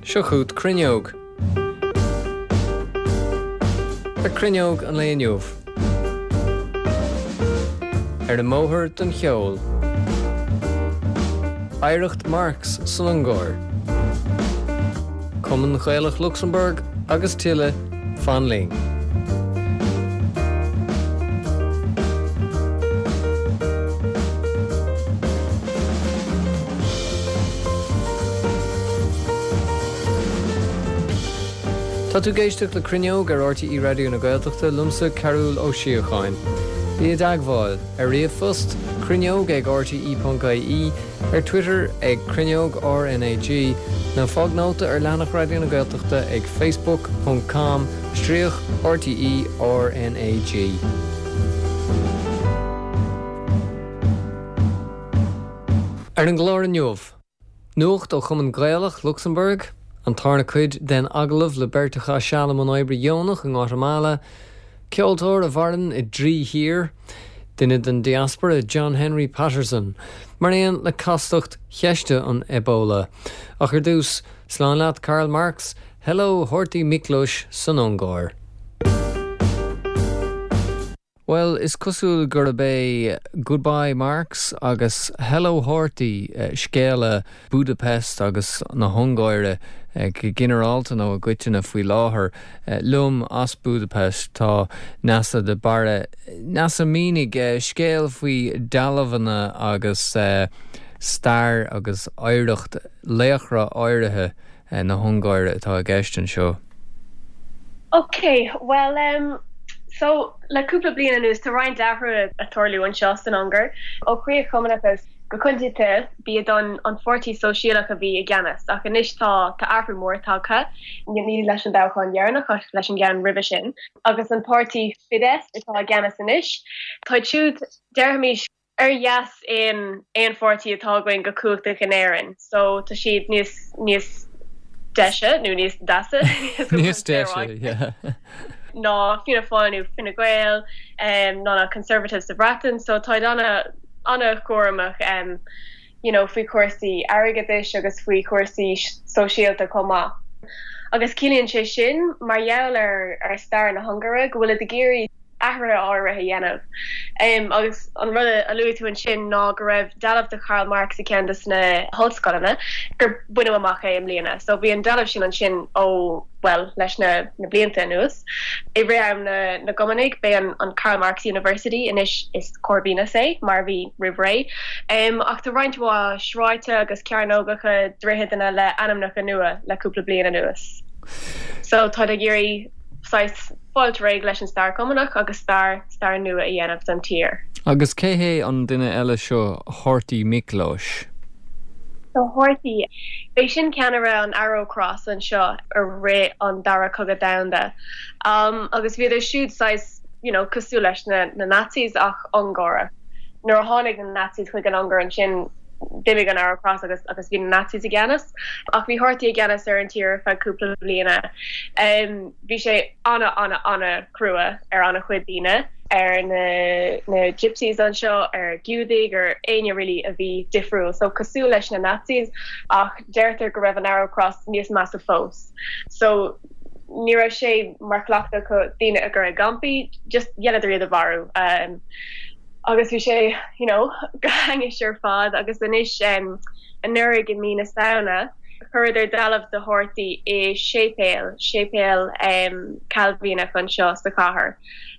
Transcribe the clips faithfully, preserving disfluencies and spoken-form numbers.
Seo chugat Cruinneog. Ar Cruinneog an lae inniu. Ar an mbóthar don cheol. Oidhreacht Marx san Ungáir. Cumann Gaelach Lucsamburg agus tuilleadh fan linn. Tá tú ag éisteacht le Cruinneog ar RTÉ Raidió na Gaeltachta liomsa Cearúl Ó Síocháin. Bí i dteagmháil ar ríomhphost cruinneog ag rte.ie, ar Twitter ag Cruinneog RnaG, nó fág nóta ar leathanach Raidió na Gaeltachta ag facebook ponc com stríoc RTE RnaG. Ar an gclár inniu. Nuacht ó Chumann Gaelach Lucsamburg, an tarna cuid den agallamh le beirt a chaith seal i mbun oibre dheonach i nGuatamala, ceoltóir a mhaireann i dtrí thír, duine den diaspora John Henry Patterson, mar aon le castacht cheiste an Ebola. Ach ar dtús, slán leat Karl Marx, Hello Horthy Miklós san Ungáir. Bhuel, is cosúil gurb é Goodbye Marx agus Hello Horthy scéala Budapest agus na hUngáire go ginearálta nó i gcoitinne faoi láthair. Liom as Budapest tá Neasa de Barra. Neasa, mínigh scéal faoi dealbhanna agus stair agus oidhreacht laochra áirithe na hUngáire atá i gceist anseo. Ok, bhuel em so le cúpla bliain anuas tá roinnt athruithe ag tarlú anseo san Ungáir. Ó chríoch chumannachas go coitianta b'iad an an Pháirtí Sóisialach a bhí i gceannas ach anois tá tá athrú mór tagtha, ní leis an dtoghchán dheireanach ach leis an gceann roimhe sin, agus an páirtí Fidesz atá i gceannas anois. Táid siúd, déarfaimis, ar dheas aon aon pháirtí atá againn go cumhachtach in Éirinn so tá siad níos níos deise nó níos deasa níos deise yeah ná Fianna Fáil nó Fine Gael um, ná na Conservatives sa Bhreatain so táid ana ana-chúramach um, you know, faoi chúrsaí airgeadais agus faoi chúrsaí sóisialta chomh maith. Agus ciallaíonn sé sin mar gheall ar ar stair na hUngáire go bhfuilid ag iarraidh athruithe áirithe a dhéanamh. Agus an rud a luaigh tú ansin ná go raibh dealbh de Karl Marx i gceann de na hollscoileanna, gur baineadh amach é i mbliana. So bhí an dealbh sin ansin ó, bhuel, leis na na blianta anuas. I rith am na na gCumannaigh, b'é an an Karl Marx University, anois is Corvinus é, mar a bhí roimh ré. Ach tá roinnt mhaith sráide agus cearnógacha, droicheadanna le ainmneacha nua le cúpla bliain anuas. So táid ag iarraidh saghas fáilt réidh leis an stair Chumannach agus stair stair nua a dhéanamh don tír. Agus cé hé an duine eile seo, Horthy Miklós? So Horthy, b'é sin ceannaire an Arrow Cross anseo i rith an Dara Cogadh Domhanda. Um, agus bhíodar siúd saghas, you know, cosúil leis na, na Nazis ach Ungárach. Nuair a tháinig na Nazis chuig an Ungáir ansin, d'imigh an Arrow Cross agus agus bhí na Nazis i gceannas. Ach bhí Horthy i gceannas ar an tír ar feadh cúpla bliana. Um, bhí sé ana ana ana crua ar ana chuid daoine, ar na na Gypsies anseo, ar Giúdaigh, ar éinne really a bhí difriúil. So cosúil leis na Nazis ach deirtear go raibh an Arrow Cross níos measa fós. So ní raibh sé mar chleachtadh acu daoine a chur i gcampaí, just dhéanadar iad a mharú. Um, agus bhí sé you know go hainnis ar fad agus anois um, anuraidh i mí na Samhna chuireadar dealbh de Horthy i séipéal, séipéal um, Cailvíneach anseo sa chathair.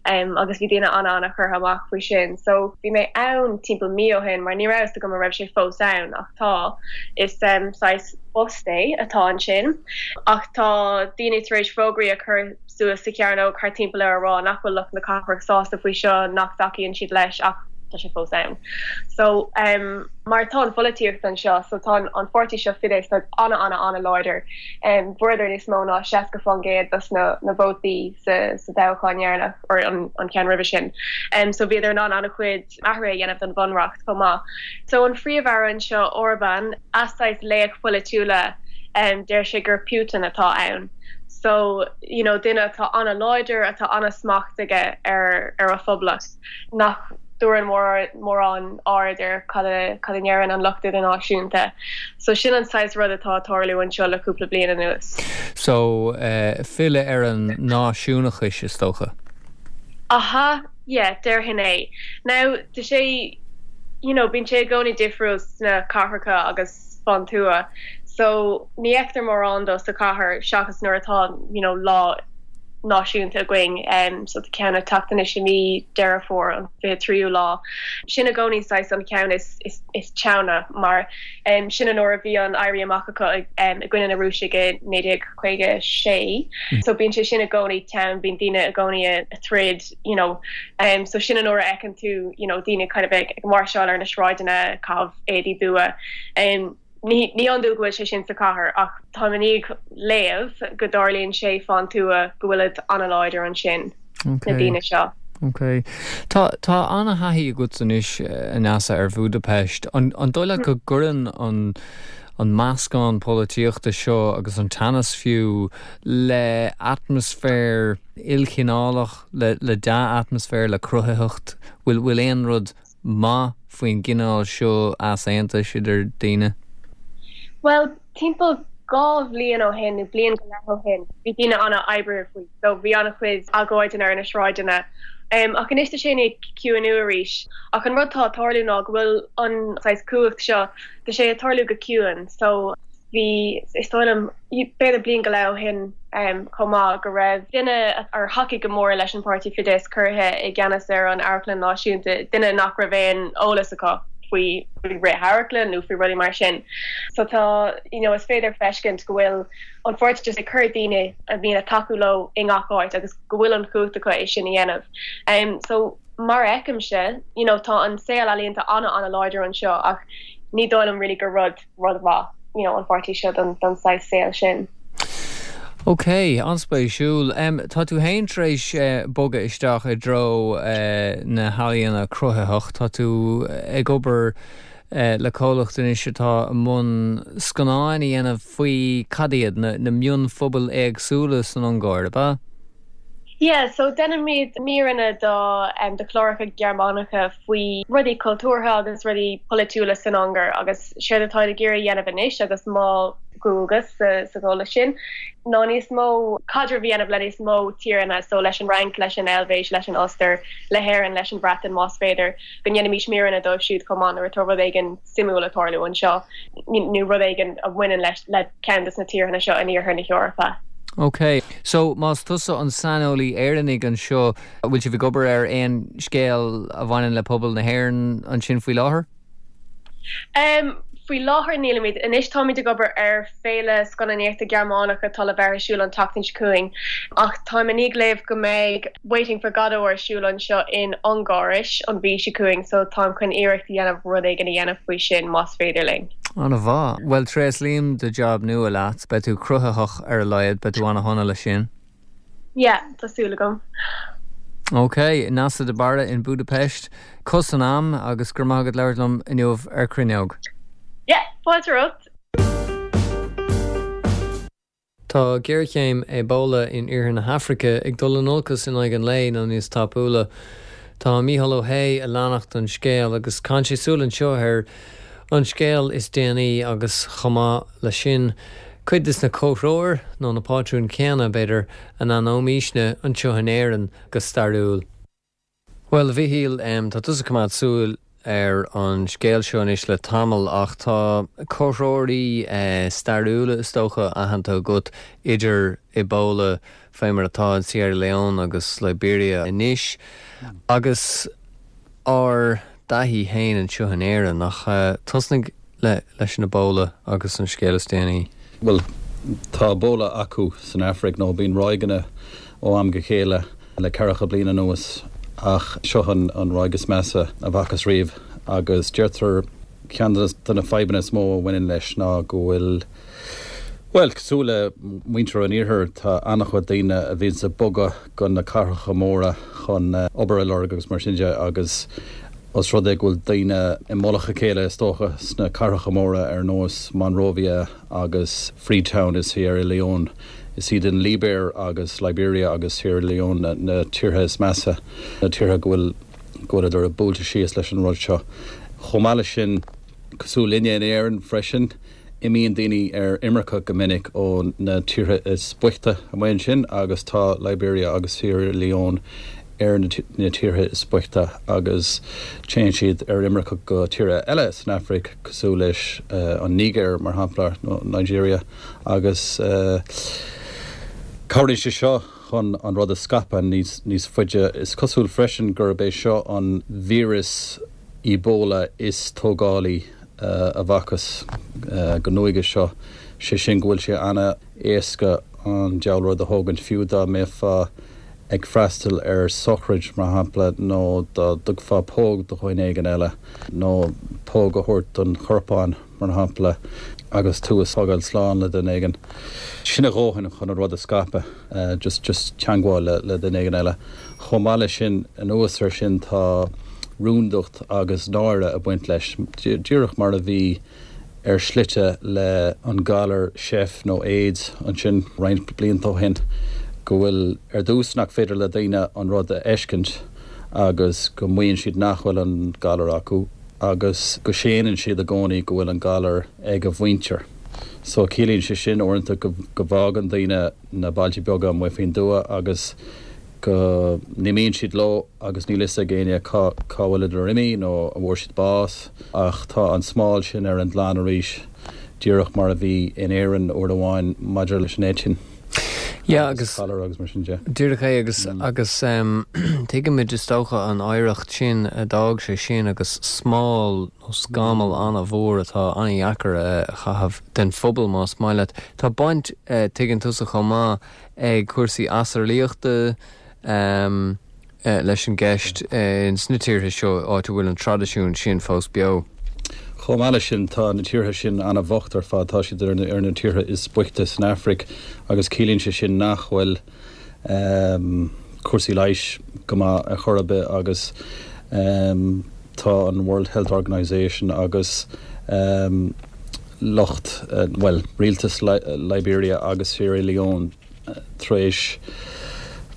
Um, agus bhí daoine ana ana curtha amach faoi sin. So bhí mé ann timpeall mí ó shin mar ní raibh a fhios agam an raibh sé fós ann ach tá is um, saghas bust é atá ansin. Ach tá daoine tar éis fógraí a chur suas sa chearnóg thart timpeall air a rá nach bhfuil lucht na cathrach sásta faoi seo, nach dtacaíonn siad leis ach tá sé fós ann. So um, mar tá an pholaitíocht anseo, so tá an pháirtí seo Fidesz tá ana ana ana láidir. Um, Fuaireadar níos mó ná seasca faoin gcéad dos na, na vótaí sa, sa toghchán dheireanach or an, an ceann roimhe sin. Um, so bhíodar in ann an-chuid athruithe a dhéanamh don bhunreacht chomh maith. So an phríomh-aire anseo Orbán, a saghas laoch polaitiúla um, deir sé gur Putin atá ann. So you know, duine atá an-láidir atá an-smacht aige ar ar a phoblacht nach dtabharann mórán aird ar cad a cad a ndeireann an lucht idirnáisiúnta. So sin an saghas rud atá ag tarlú anseo le cúpla bliain anuas. So uh, filleadh ar an náisiúnachas is dócha. Aha, yeah, déarfainn é. Now tá sé you know, bíonn sé i gcónaí difriúil sna cathracha agus fán tuath. So ní fheictear mórán dó sa chathair seachas nuair atá you know, lá náisiúnta againn um, so tá ceann ag teacht anois i mí Deireadh Fómhair an fiche tríú lá. Sin i gcónaí saghas an ceann is, is, is teanna mar um, sin an uair a bhí an éirí amach acu um, i gcoinne na Rúisigh i naoi déag caoga sé. Mm. So bíonn sé sin i gcónaí teann bíonn daoine i gcónaí ag troid you know, um, so sin an uair a fheiceann tú you know, daoine kind of ag, ag máirseáil ar na sráideanna caitheamh éadaí dubha. Um, Ní ní hiondúil go bhfuil sé sin sa chathair ach tá mé ag léamh go dtarlaíonn sé fán tuath go bhfuil an-láidir ansin na daoine seo. Ok. Tá tá an-thaithí agat anois Neasa ar Budapest. An an dóigh leat go gcuireann an an meascán polaitíochta seo agus an teannas fiú le atmaisféar ilchineálach le le dea-atmaisféar le cruthaitheacht, bhfuil bhfuil aon rud maith faoin gcineál seo easaontais idir daoine? Well, timpeall dhá bhliain ó shin nó bliain go leith ó shin, bhí daoine an-oibre faoi, so bhí an-chuid agóideanna ar na sráideanna. Um, ach anois tá sé ag ciúnú arís. Ach an rud atá ag tarlú ná go bhfuil an saghas cumhacht seo tá sé ag tarlú go ciúin, so bhí is dóigh liom b'fhéidir bliain go leith ó shin um, chomh maith go raibh duine ar thacaigh go mór leis an páirtí Fidesz curtha i gceannas ar an Amharclann Náisiúnta, duine nach raibh aon eolas acu faoi fhrithamharclann nó faoi rudaí mar sin. So tá you know, is féidir feiscint go bhfuil an pháirtí just ag cur daoine a bhíonn ag tacú leo i ngach áit agus go bhfuil an chumhacht acu é sin a dhéanamh. Um, so mar a fheicimse, you know, tá an saol ealaíonta an- an-láidir anseo ach ní dóigh liom really gur rud rud maith you know, an pháirtí seo don, don saghas saol sin. Ok, an-spéisiúil. Um, tá tú féin tar éis uh, bogadh isteach i dtreo uh, na healaíona cruthaitheach, Tá tú ag obair uh, le comhlacht anois atá i mbun scannáin a dhéanamh faoi cad iad na, na mionphobail éagsúla san Ungáir, ba? Yeah, so déanaimid míreanna do um, do chláracha Gearmánacha faoi rudaí cultúrtha agus rudaí polaitiúla san Ungáir agus séard atá ag iarraidh dhéanamh anois agus mo dhualgas sa sa gcomhlacht sin. ná níos mó caidreamh a dhéanamh le níos mó tíortha so leis an Fhrainc leis an Eilvéis leis an Ostair le hÉirinn leis an Bhreatain más féidir go ndéanfaimis míreanna dóibh siúd chomh maith nuair atá rud éigin suimiúil ag tarlú anseo nó rud éigin a bhaineann leis le ceann de na tíortha seo in iarthar na hEorpa. Ok, so más tusa an saineolaí Éireannach anseo bhfuil sibh ag obair ar aon scéal a bhaineann le pobal na hÉireann ansin faoi láthair? Um, faoi láthair nílimid anois táimid ag obair ar féile scannánaíochta Gearmánach atá le bheith ar siúl an tseachtain seo chugainn ach táim ag léamh go mbeidh Waiting for Godot ar siúl anseo in Ungáiris an mhí seo chugainn so táim chun iarracht a dhéanamh rud éigin a dhéanamh faoi sin más féidir linn. An-mhaith. Well tréaslaím do job nua leat, beidh tú cruthaitheach ar a laghad, beidh tú an-shona leis sin. Yeah, tá súil agam. Ok, Neasa de Barra in Budapest, Köszönöm agus gur maith agat labhairt liom inniu ar Cruinneog. Yeah, fáilte romhat. Tá géarchéim Ebola in iarthar na hAfraice ag dul in olcas in aghaidh an lae nó níos tapúla. Tá Mícheál Ó hAodha ag leanacht an scéal agus caitheann sé súil anseo ar an scéal is déanaí agus chomh maith le sin cuid de na comhthreomhar nó na pátrúin céanna b'fhéidir a n-aithnímisne anseo in Éirinn go stairiúil. Well Mhíchíl um, tá tusa ag coimeád súil ar an scéal seo anois le tamall ach tá comhthreomhairí uh, stairiúla is dócha aitheanta agat idir Ebola fé mar atá in Sierra Leone agus Liberia anois agus ár dtaithí féin anseo in Éirinn ach uh, tosnaigh le leis an Ebola agus an scéal is déanaí. Well tá Ebola acu san Afraic nó bíonn ráigeanna ó am go chéile le ceathracha bliain anuas ach seo an an ráig is measa a bhfacthas riamh agus deirtear ceann de na fadhbanna is mó a bhaineann leis ná go bhfuil Well cosúil le muintir an iarthair tá an-chuid daoine a bhíonn ag bogadh go na cathracha móra chun uh, obair a lorg agus mar sin de agus os rud é go bhfuil daoine i mullach a chéile is dócha sna cathracha móra ar nós Monrovia agus Freetown is Sierra Leone. Is iad an Libéir agus Liberia agus Sierra Leone na, na tíortha is measa na tíortha go bhfuil go bhfuileadar buailte síos leis an rud seo. Chomh maith leis sin cosúil linne in Éirinn freisin, imíonn daoine ar imirce go minic ó na tíortha is boichte amuigh ansin agus tá Liberia agus Sierra Leone ar na tíortha is boichte agus téann siad ar imirce go tíortha eile san Afraic cosúil leis uh, an Nígéir mar shampla nó Nigeria agus uh, cabhraíonn sé seo chun an rud a scaipeadh níos níos faide is cosúil freisin gurb é seo an víreas Ebola is tógálaí uh, a bhfacthas uh, go nuige seo sé sin go bhfuil sé an-éasca an diabhal rud a thógaint fiú dá mbeifeá ag freastal ar sochraid mar shampla nó dá dtugfá póg do dhuine éigin eile nó póg a thabhairt don chorpán mar shampla agus tú ag fágáil slán le duine éigin. Sin a dhóthain chun an rud a scaipeadh uh, just just teagmháil le, le duine éigin eile. Chomh maith leis sin anuas air sin tá rúndacht agus náire ag baint leis díreach mar a bhí ar slite le an galar seif nó AIDS ansin roinnt blianta ó shin go bhfuil ar dtús nach féidir le daoine an rud a fheiscint agus go maíonn siad nach bhfuil an galar acu agus go séanann siad i gcónaí go bhfuil an galar ag a mhuintir. So ciallaíonn sé sin uaireanta go, go bhfágann daoine na bailte beaga amuigh faoin tuath agus go n-imíonn siad leo agus níl a fhios ag éinne cá bhfuil imithe nó an bhfuair siad bás ach tá an smál sin ar an gclann arís díreach mar a bhí in Éirinn uair amháin maidir leis an eitinn. Ja agus agus mar sin de. Díreach é agus mm. agus um, tuigimid is dócha an oidhreacht sin a d'fhág sé sin agus smál nó scamall an-mhór atá an-deacair a chaitheamh den phobal más maith leat. Tá baint uh, tuigeann tusa chomh maith ag cúrsaí asarlaíochta um, uh, leis an gceist uh, in sna tíortha seo áit a bhfuil an traidisiún sin fós beo. Chomh maith leis sin tá na tíortha sin an-bhocht ar fad tá siad ar ar na tíortha is boichte san Afraic agus ciallaíonn sé sin nach bhfuil um, cúrsaí leighis go maith ar chor ar bith agus um, tá an World Health Organization agus um, lucht uh, well rialtas Li Liberia agus Sierra Leone uh, tar éis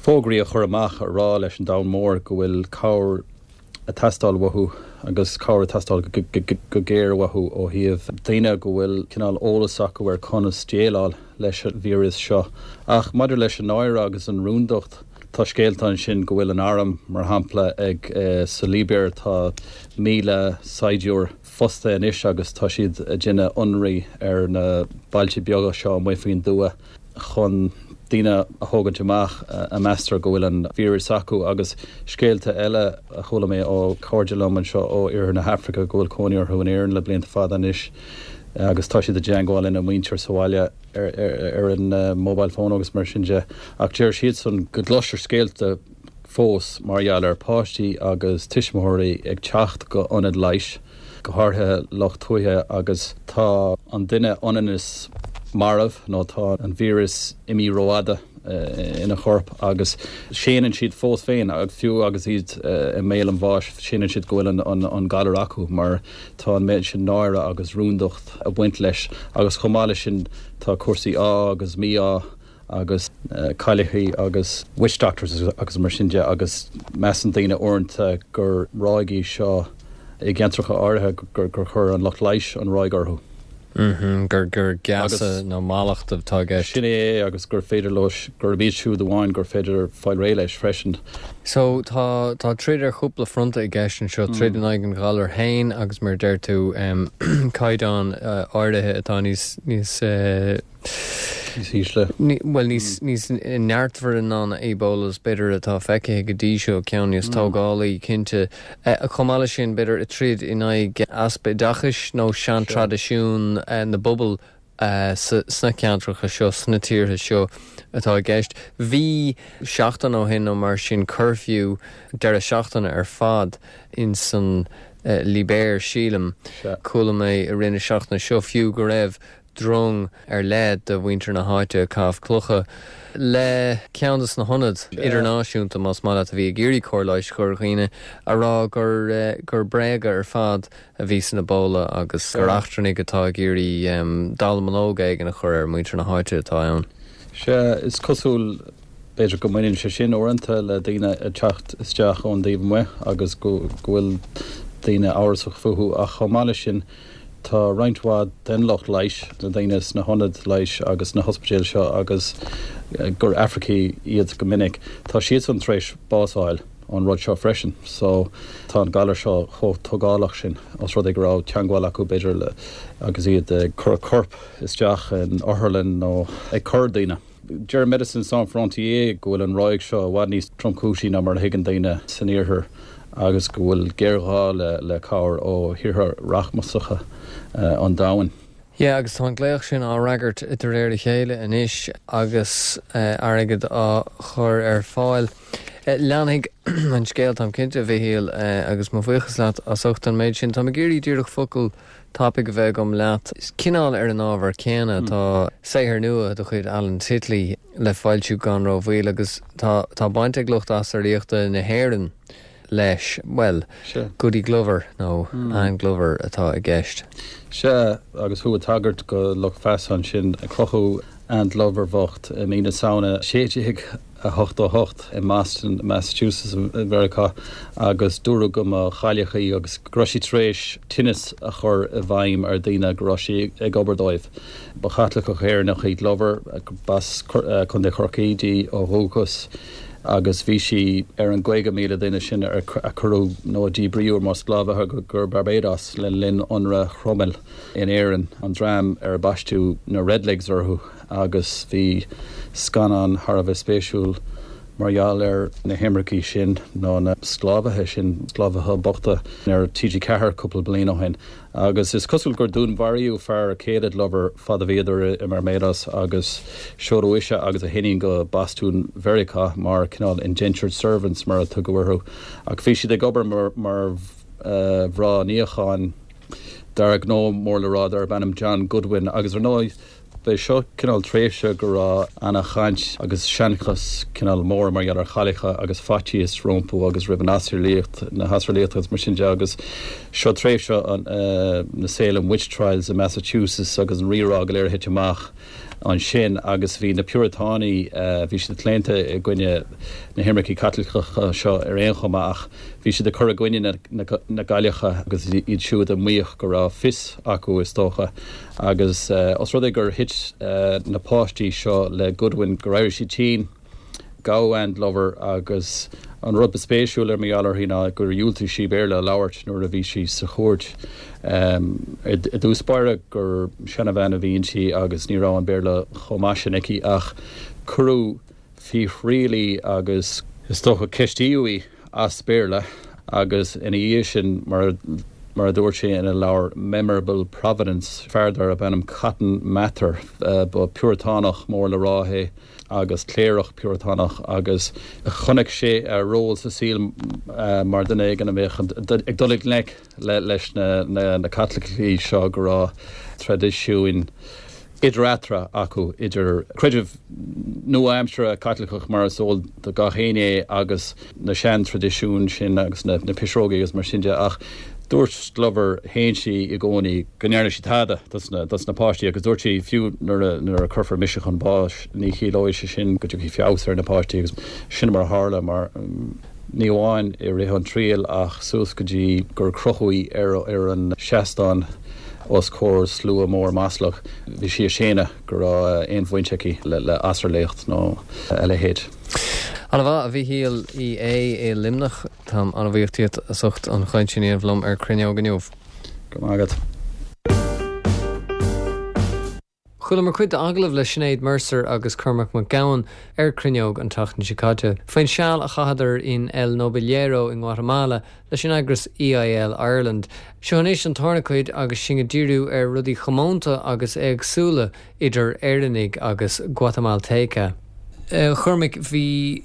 fógraí a chur amach a rá leis an domhan mór go bhfuil cabhair ag teastáil uathu agus cabhair ag teastáil go géar uathu ó thaobh daoine go bhfuil cineál eolas acu ar conas déileáil leis an víreas seo. Ach maidir leis an náire agus an rúndacht tá scéalta ansin go bhfuil an arm mar shampla ag uh, sa Libéir tá míle saighdiúir fostaithe anois agus tá siad ag déanamh ionraí ar na bailte beaga seo amuigh faoin tuath chun daoine a thógaint amach a meastar go bhfuil an víreas acu agus scéalta eile a chuala mé ó chairde liom anseo ó oirthear na hAfraice go bhfuil cónaí orthu in Éirinn le blianta fada anois agus tá siad i dteagmháil lena muintir sa bhaile ar, ar, ar an uh, mobile phone agus mar sin de ach deir siad san go gcloistear scéalta fós mar gheall ar páistí agus tuismitheoirí ag teacht go ionad leighis go háirithe lucht tuaithe agus tá an duine ionann is marbh nó tá an víreas imithe rófhada uh, ina chorp agus séanann siad fós féin ag fiú agus iad uh, i mbéal an bháis séanann siad go bhfuil an, an, an galar acu mar tá an méid sin náire agus rúndacht ag baint leis agus chomh maith leis sin tá cúrsaí ádh agus mí-ádh agus uh, caillichí agus witch doctors agus mar sin de agus measann daoine uaireanta gur ráig í seo i gceantracha áirithe gur gur chuir an lucht leighis an ráig orthu. Mm -hmm, gur gur geasa nó mallacht atá sin é agus gur féidir leo gur iad siúd amháin gur féidir fáil réidh leis freisin. So tá tá troid ar chúpla fronta i gceist anseo mm. troid in aghaidh an ghalair féin agus mar deir tú um, caighdeán uh, áirithe atá níos níos uh, ísle. Well níos níos neartmhaire ná an Ebola b'fhéidir atá feicthe go dtí seo ceann níos mm. tógálaí cinnte chomh maith leis sin b'fhéidir troid in aghaidh easpa oideachais nó seantraidisiún na bpobal sna ceantracha seo sna tíortha seo atá i gceist. Bhí seachtain ó shin nó mar sin curfew deireadh seachtaine ar fad in san uh, Libéir sílim chuala mé i rith na seachtaine seo fiú go raibh drong ar leith de mhuintir na háite ag caitheamh clocha le ceann des na hionaid idirnáisiúnta más maith a bhí ag iarraidh cóir leighis a chur ar dhaoine a rá gur eh, gur bréaga ar fad a bhí san Ebola agus gur eachtrannaigh atá ag iarraidh um, dallamullóg éigin a chur ar muintir na háite atá ann. Sea is cosúil B'fhéidir go mbaineann sé sin uaireanta le daoine ag teacht isteach ón dtaobh amuigh agus go bhfuil daoine amhrasach fúthu ach chomh maith leis sin tá roinnt mhaith den lucht leighis, na daoine sna hionaid leighis agus sna hospidéil seo agus gur Afracaigh iad go minic, tá siadsan tar éis bás a fháil ón rud seo freisin. So tá an galar seo chomh tógálach sin os rud é go raibh teagmháil acu b'fhéidir le agus iad ag cur corp isteach in otharlann nó ag cur daoine. Deir Médecins Sans Frontières go bhfuil an ráig seo i bhfad níos tromchúisí ná mar a thuigeann daoine san iarthar agus go bhfuil géarghá le le cabhair ó thíortha rachmasacha an domhain. Yeah, agus tá an glaoch sin á fhreagairt de réir a chéile anois agus airgead á chur ar fáil. Leanfaidh an scéal, táim cinnte, a Mhichíl, agus mo bhuíochas leat as ucht an méid sin. Táim ag iarraidh díreach focal tapaidh a bheith agam leat. Cineál ar an ábhar céanna, tá saothar nua de chuid Alan Titley le foilsiú gan rómhoill agus tá tá baint ag lucht asarlaíochta na hÉireann leis. Bhuel, Goody Glover nó Anne Glover atá i gceist. Sea, agus thú ag tagairt go lucht feasa ansin, crochadh Anne Glover bhocht i mí na Samhna sé déag a hochtó a hocht i mBoston, Massachusetts i Meiriceá agus dúradh go mba chailleach í agus go raibh sí tar éis tinneas a chur i bhfeidhm ar dhaoine go raibh sí ag obair dóibh. Ba Chaitliceach Éireannach í Glover, b'as Contae Chorcaí di ó dhúchas agus bhí sí ar an gcaoga míle duine sin a cuireadh nó a díbríodh mar sclábhaithe go Barbados le linn ionradh Chromail in Éirinn, an dream ar baisteadh na Redlegs orthu agus bhí scannán thar a bheith spéisiúil mar gheall ar na himircigh sin nó na sclábhaithe sin, sclábhaithe bochta, ar T G ceathair cúpla bliain ó shin. Agus is cosúil gur dúnmharaíodh fear céile Glover fad a bhíodar i mBarbados agus seoladh ise agus a hiníon go Bostún Mheiriceá mar cineál indentured servants mar a tugadh orthu ach bhí siad ag obair mar mar mhná níocháin d'fhear gnó mór le rá darb ainm John Goodwin agus ar ndóigh B'é seo cineál tréimhse go raibh ana-chaint agus seanchas cineál mór mar gheall ar chailleacha agus faitíos rompu agus roimh an asarlaíocht, na hasarlaíochta agus mar sin de agus seo tréimhse an na Salem Witch Trials i Massachusetts agus an rírá go léir a thit amach ansin agus bhí na Piúratánaigh, bhí siad claonta i gcoinne na himircigh Caitliceacha seo ar aon chuma ach bhí siad ag cur i gcoinne na na gcailleacha agus iad siúd a maíodh go raibh fios acu is dócha. Agus os rud é gur thit na páistí seo le Goodwin, gur éirigh siad tinn, gabhadh Anne Glover agus an rud ba spéisiúil ar mar gheall uirthi ná gur dhiúltaigh sí Béarla a labhairt nuair a bhí sí sa chúirt. I dtús báire gur seanabhean a bhí inti agus ní raibh an Béarla chomh maith sin aici ach cuireadh faoi thriail í agus is dócha ceistíodh í as Béarla agus ina dhiaidh sin mar mar a dúirt sé ina leabhar Memorable Providence, fear darb ainm Cotton Mather, ba Piúratánach mór le rá é agus cléireach Piúratánach agus chonaic sé a ról sa saol mar dhuine éigin a bheadh ag dul i ngleic leis na Caitlicigh seo go raibh traidisiúin idir eatarthu acu, idir creideamh nua-aimseartha Caitliceach mar is eol do gach éinne é agus na sean-traidisiúin sin agus na pisreogaí agus mar sin de ach dúirt Glover, shéan sí i gcónaí go ndearna sí tada dos na páistí agus dúirt sí fiú nuair a cuirfear mise chun báis ní chiallóidh sé sin go dtiocfaidh feabhas ar na páistí agus sin mar a tharla mar ní amháin i rith an triail ach suas go dtí gur crochadh í ar an seastán os comhair slua mór maslach. Bhí sí ag séanadh go raibh aon bhaint aici le asarlaíocht nó a leithéid. Ana-mhaith, a Mhichíl Uí Aodha i Luimneach. Táim an-bhuíoch díot as ucht an chaint sin a dhéanamh liom ar Cruinneog inniu. Go raibh maith agat. Chualamar cuid d'agallamh le Sinéad Mercer agus Cormac Mac Gabhann ar Cruinneog an tseachtain seo caite, faoin seal a chaitheadar in El Novillero i nGuatamala leis an eagras E I L Ireland. Seo anois an tarna cuid agus sinn ag díriú ar rudaí comónta agus éagsúla idir Éireannaigh agus Guatamalteca. A Chormaic, bhí,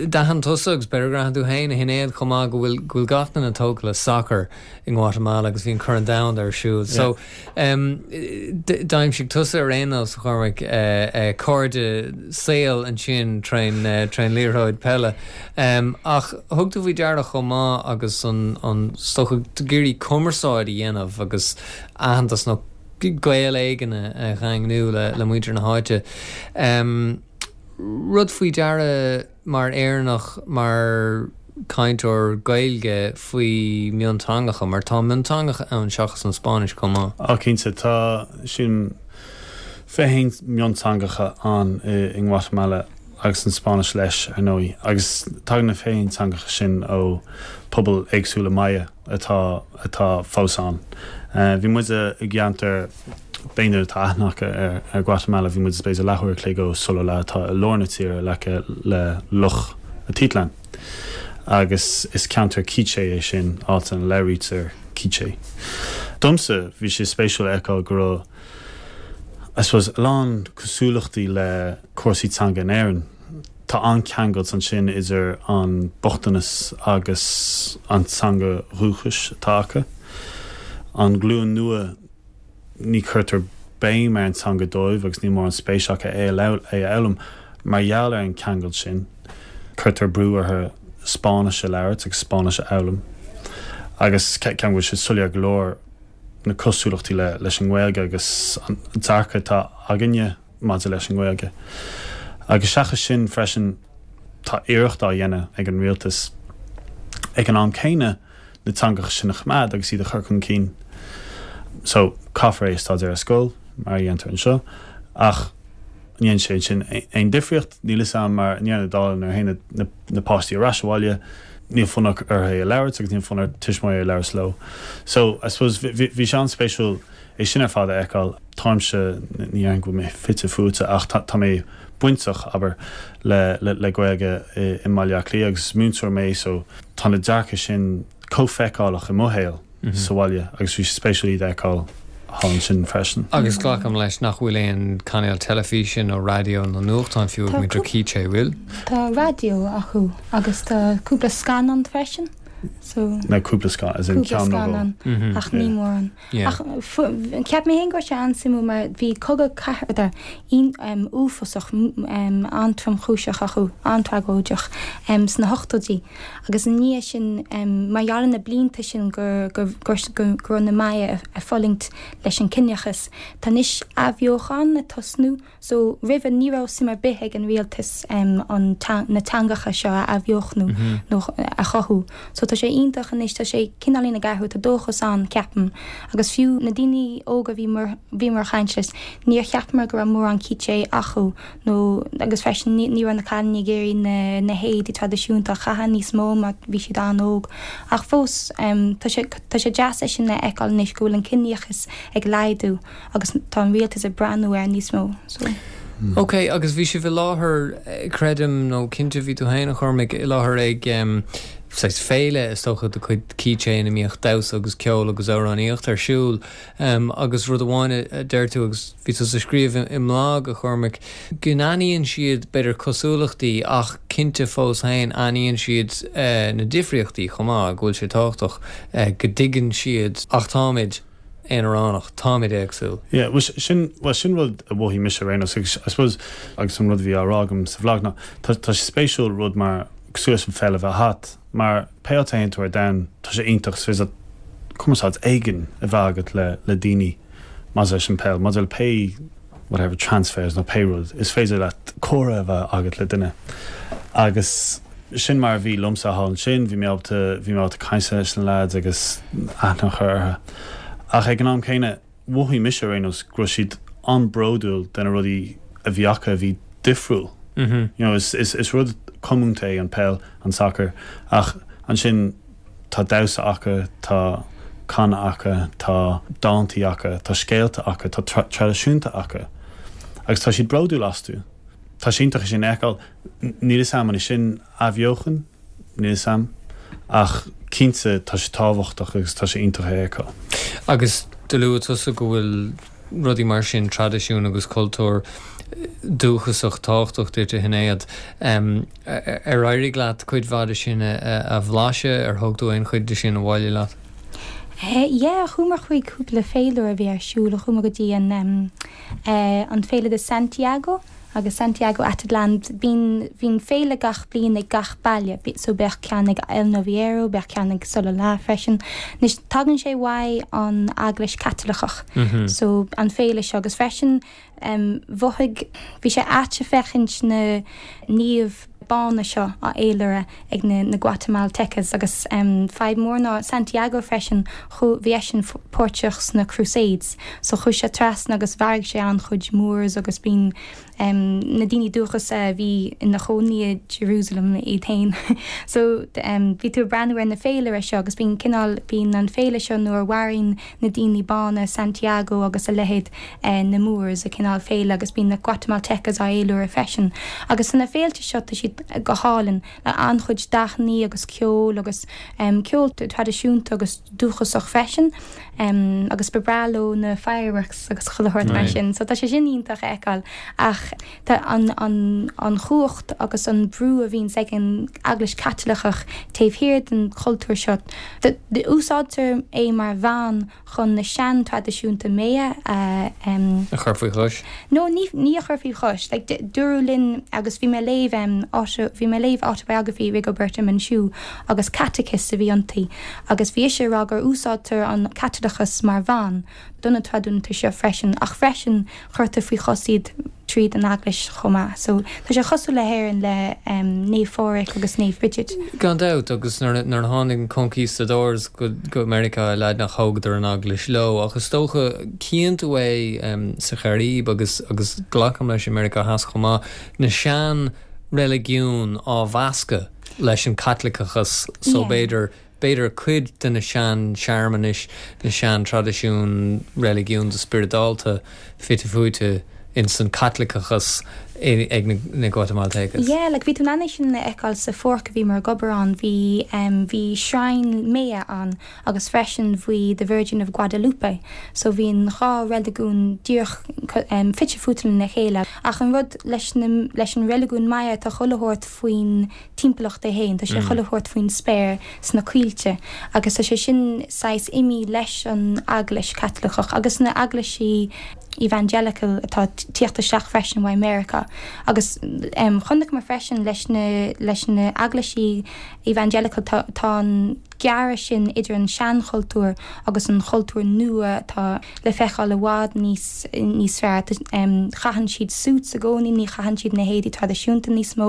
d'aithin tusa agus b'fhéidir gur aithin tú féin, a Shinéad, chomh maith go bhfuil, go bhfuil gach duine tógtha le sacar i nGuatamala agus bhí an Corn Domhanda ar siúl. So, d'aimsigh tusa ar aon nós, a Chormaic, cairde saoil ansin trén, trén liathróid peile. Ach thug tú faoi deara chomh maith agus an, an, is dócha, ag iarraidh cumarsáid a dhéanamh agus aitheantas nó gaol éigin a dhaingniú le, le muintir na háite. rud faoi deara mar Éireannach mar cainteoir Gaeilge faoi mionteangacha mar tá mionteangacha ann seachas an Spáinnis chomh maith. Á cinnte tá sin fiche haon mionteangacha ann i nGuatamala agus an Spáinnis leis ar ndóigh agus tagann na fiche haon teangacha sin ó pobal éagsúla Maya atá atá fós ann. Bhí muid i gceantar b'fhéidir atá aithne acu ar ar Guatemala bhí muid b'fhéidir leathuair a chloig ó Sololá atá i lár na tíre in aice le Loch Atitlan. Agus is ceantar Quiché é sin áit ina labhraítear Quiché. Domsa bhí sé spéisiúil a fheiceáil go raibh I suppose a lán cosúlachtaí le cúrsaí teanga in Éirinn. Tá an-cheangal ansin idir an bochtanas agus an teanga dhúchais atá acu. An glúin nua ní chuirtear béim ar an teanga dóibh agus ní mórán spéis acu é a fhoghlaim mar gheall ar an cheangal sin. Cuirtear brú orthu Spáinnis a labhairt agus Spáinnis a fhoghlaim. Agus ceann bhfuil sé soiléir go leor na cosúlachtaí le leis an nGaeilge agus an dearcadh atá againne maidir leis an nGaeilge. Agus seachas sin freisin tá iarracht á dhéanamh ag an rialtas ag an am céanna na teangacha sin a choimeád agus iad a chur chun cinn. So caithfear é a staidéar ar scoil mar a dhéantar anseo ach an ndéanann sé sin aon difríocht níl fhios a'm mar i ndeireadh na dála nuair a théann na, na páistí ar ais abhaile níl fonn orthu é a labhairt agus níl fonn ar tuismitheoirí a labhairt leo. So I suppose bhí sé an-spéisiúil é sin ar fad a fheiceáil táimse ní déarfainn go bhfuil mé fite fuaite ach tá mé bainteach abair le le le Gaeilge i i mBaile Átha Cliath agus múinteoir mé so tá na dearcadh sin chomh feiceálach i mo shaol sa bhaile agus bhí sé spéisiúil iad a fheiceáil thall ansin freisin. Agus glacaim leis nach bhfuil aon cainéal teilifíse nó raidió nó nuachtán fiú ag muintir Quiché bhfuil? Tá raidió acu agus tá cúpla scannán freisin. So Na cúpla scannán as in cúpla ceann nó scannán Mhm. ach ní mórán. Yeah. Ach fu- cheap mé féin go raibh sé an-suimiúil mar bhí cogadh cathartha um, uafásach um, an-tromchúiseach acu an-tragóideach um, sna hochtóidí agus i ndiaidh sin um, mar gheall ar na blianta sin gur gur gur gur gur raibh na Maya ag fulaingt leis an ciníochas. Tá anois athbheochan ag tosnú so roimhe ní raibh suim ar bith ag an rialtas um, an ta na teangacha seo a athbheochnú nó a chothú. So tá sé iontach anois tá sé cineáilín ag athrú tá dóchas ann ceapaim agus fiú na daoine óga bhí mar bhí mar chaint leis níor cheapamar go raibh mórán Quiché acu nó agus freisin ní ní raibh na cailíní ag iarraidh na na héadaí traidisiúnta a chaitheamh níos mó mar bhí siad an-óg ach fós um, tá sé tá sé deas é sin a fheiceáil anois go bhfuil an ciníochas ag laghdú agus tá an rialtas ag breathnú air níos mó. So. Ok, agus bhí sibh i láthair eh, creidim nó cinnte bhí tú féin a Chormaic i láthair ag um, saghas féile is dócha de chuid Quiché ina mbíodh damhsa agus ceol agus amhránaíocht ar siúl um, agus rud amháin a deir tú agus bhí tú ag scríobh i mblag a Chormaic go n-aithníonn siad b'fhéidir cosúlachtaí ach cinnte fós féin aithníonn siad uh, na difríochtaí chomh maith go bhfuil sé tábhachtach uh, go dtuigeann siad ach táimid aonaránach táimid éagsúil. Yeah, well, sin well, sin rud a mhothaigh mise rénos agus I suppose agus an rud a bhí á rá agam sa bhlag ná tá tá sé spéisiúil rud mar cosúil leis an pheil a bheith agat mar pé áit a théann tú ar domhan tá sé iontach is féidir cumarsáid éigin a bheith agat le le daoine maidir leis an peil maidir le pé whatever transfers nó pé rud is féidir leat comhrá a bheith agat le duine agus sin mar a bhí liomsa thall ansin bhí mé ábalta bhí mé ábalta caint leis na lads agus aithne a chur orthu ach ag an am céanna mhothaigh mise rénos go raibh siad an-bhródúil de na rudaí a bhí acu a bhí difriúil. Mm -hmm. You know, is, is, is rud comúnta é an peil an soccer ach ansin tá damhsa acu tá canadh acu tá dántaí acu tá scéalta acu tá tra traidisiúnta acu agus tá siad bródúil astu. Tá sé iontach sin a fheiceáil níl fhios a'm an sin athbheochan níl fhios a'm ach cinnte tá sé tábhachtach agus tá sé iontach é a fheiceáil. Agus do luaigh tusa go bhfuil rudaí mar sin traidisiún agus cultúr dúchasach tábhachtach duit a Shinéad. Um, ar éirigh leat cuid mhaith de sin a, a bhlaiseadh ar thug tú aon chuid de sin abhaile leat? Eh, yeah, chuamar chuig cúpla féile a bhí ar siúl chuamar go dtí an um, eh, an féile de Santiago Agus Santiago Atitlán bíonn bhíonn féile gach bliain ag gach baile, so bheadh ceann ag El Noviero, bheadh ceann ag Sololá freisin. Anois tagann sé uaidh an Eaglais Caitliceach so an féile seo agus freisin mhothaigh bhí sé ait a féachaint na naoimh bána seo á fhéilire ag na na Guatemaltecas agus fadhb mór ná Santiago freisin chu bhí eisean páirteach sna Crusades so chuaigh sé trasna agus mharaigh sé an-chuid Moors agus bíonn na daoine dúchas a bhí ina chónaí i Jerusalem iad féin so bhí tú ag breathnú ar na féilire seo agus bíonn cineál bíonn an féile seo nuair a mharaíonn na daoine bána Santiago agus a leithéid na Moors a cineál féile agus bíonn na Guatemaltecas á fhéiliúradh freisin agus na féilte seo tá siad go hálainn le an-chuid dathanna agus ceol agus ceol traidisiúnta agus dúchasach freisin agus ba bhreá leo na fireworks agus chuile shórt mar sin so tá sé sin iontach a fheiceáil ach tá an an an chumhacht agus an brú a bhíonn ag an Eaglais Chaitliceach taobh thiar den chultúr seo. Úsáidtear é mar mheán chun na sean-traidisiúnta Maya a A chur faoi chois? No, ní ní a chur faoi chois. Like, dúradh linn agus bhí mé ag léamh auto bhí mé ag léamh autobiography Rigoberta Menchú agus catechist a bhí inti agus bhí ise ag rá gur úsáidtear an Caitliceachas mar mheán do na traidisiúnta seo freisin ach freisin chuirtear faoi chois iad tríd an eaglais chomh maith. So tá sé cosúil le hÉirinn le Naomh Phádraig agus Naomh Bridget. Gan dabht agus nuair a tháinig an conquistadors go go Meiriceá Laidineach thógadar an eaglais leo ach is dócha cíonn tú é sa Chairib agus agus glacaim leis i Meiriceá Theas chomh maith na sean reiligiún á mheascadh leis an Caitliceachas so b'fhéidir b'fhéidir cuid de na sean searmanais na sean traidisiún reiligiúnda spioradálta fite fuaite in san Caitliceachas ag na Guatemaltecas. Yeah, like bhí tú in ann é sin a fheiceáil sa pháirc a bhí mar ag obair ann bhí um, bhí shrine Maya ann agus freisin bhí the Virgin of Guadalupe, so bhí an dhá reiligiún díreach um, fite fuaite lena chéile. Ach an rud leis, na, leis an reiligiún Maya tá chuile shórt faoin timpeallacht é féin, tá sé chuile shórt faoin spéir sna coillte, agus tá sé sin saghas imithe leis an eaglais Caitliceach agus na eaglaisí evangelical atá tíocht isteach freisin ó America agus um, chonaic mé freisin leis na leis na eaglaisí evangelical tá, tá an gearradh sin idir an seanchultúr agus an chultúr nua atá le feiceáil i bhfad níos níos fearr um, caitheann siad suits i gcónaí ní chaitheann siad na héadaí traidisiúnta níos mó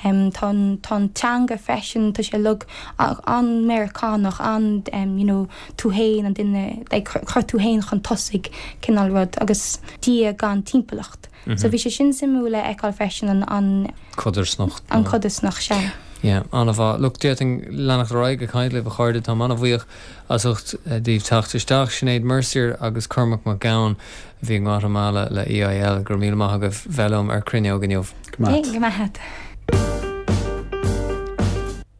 um, tá tá an teanga freisin tá sé like an-Mheiriceánach an um, you know, tú féin an duine like, chur tú féin chun tosaigh cineál rud agus Dia gan timpeallacht. Mm -hmm. So bhí sé sin suimiúil le feiceáil freisin an an codarsnacht an codarsnacht sin. Yeah, an-mhaith Look d'fhéadfainn leanacht ar aghaidh ag caint libh a chairde tá an-bhuíoch as ucht daoibh teacht isteach Sinéad Mercier agus Cormac Mac Gabhann a bhí i nGuatamala le EIL go raibh míle maith agaibh bheith liom ar Cruinneog inniu. Go maith.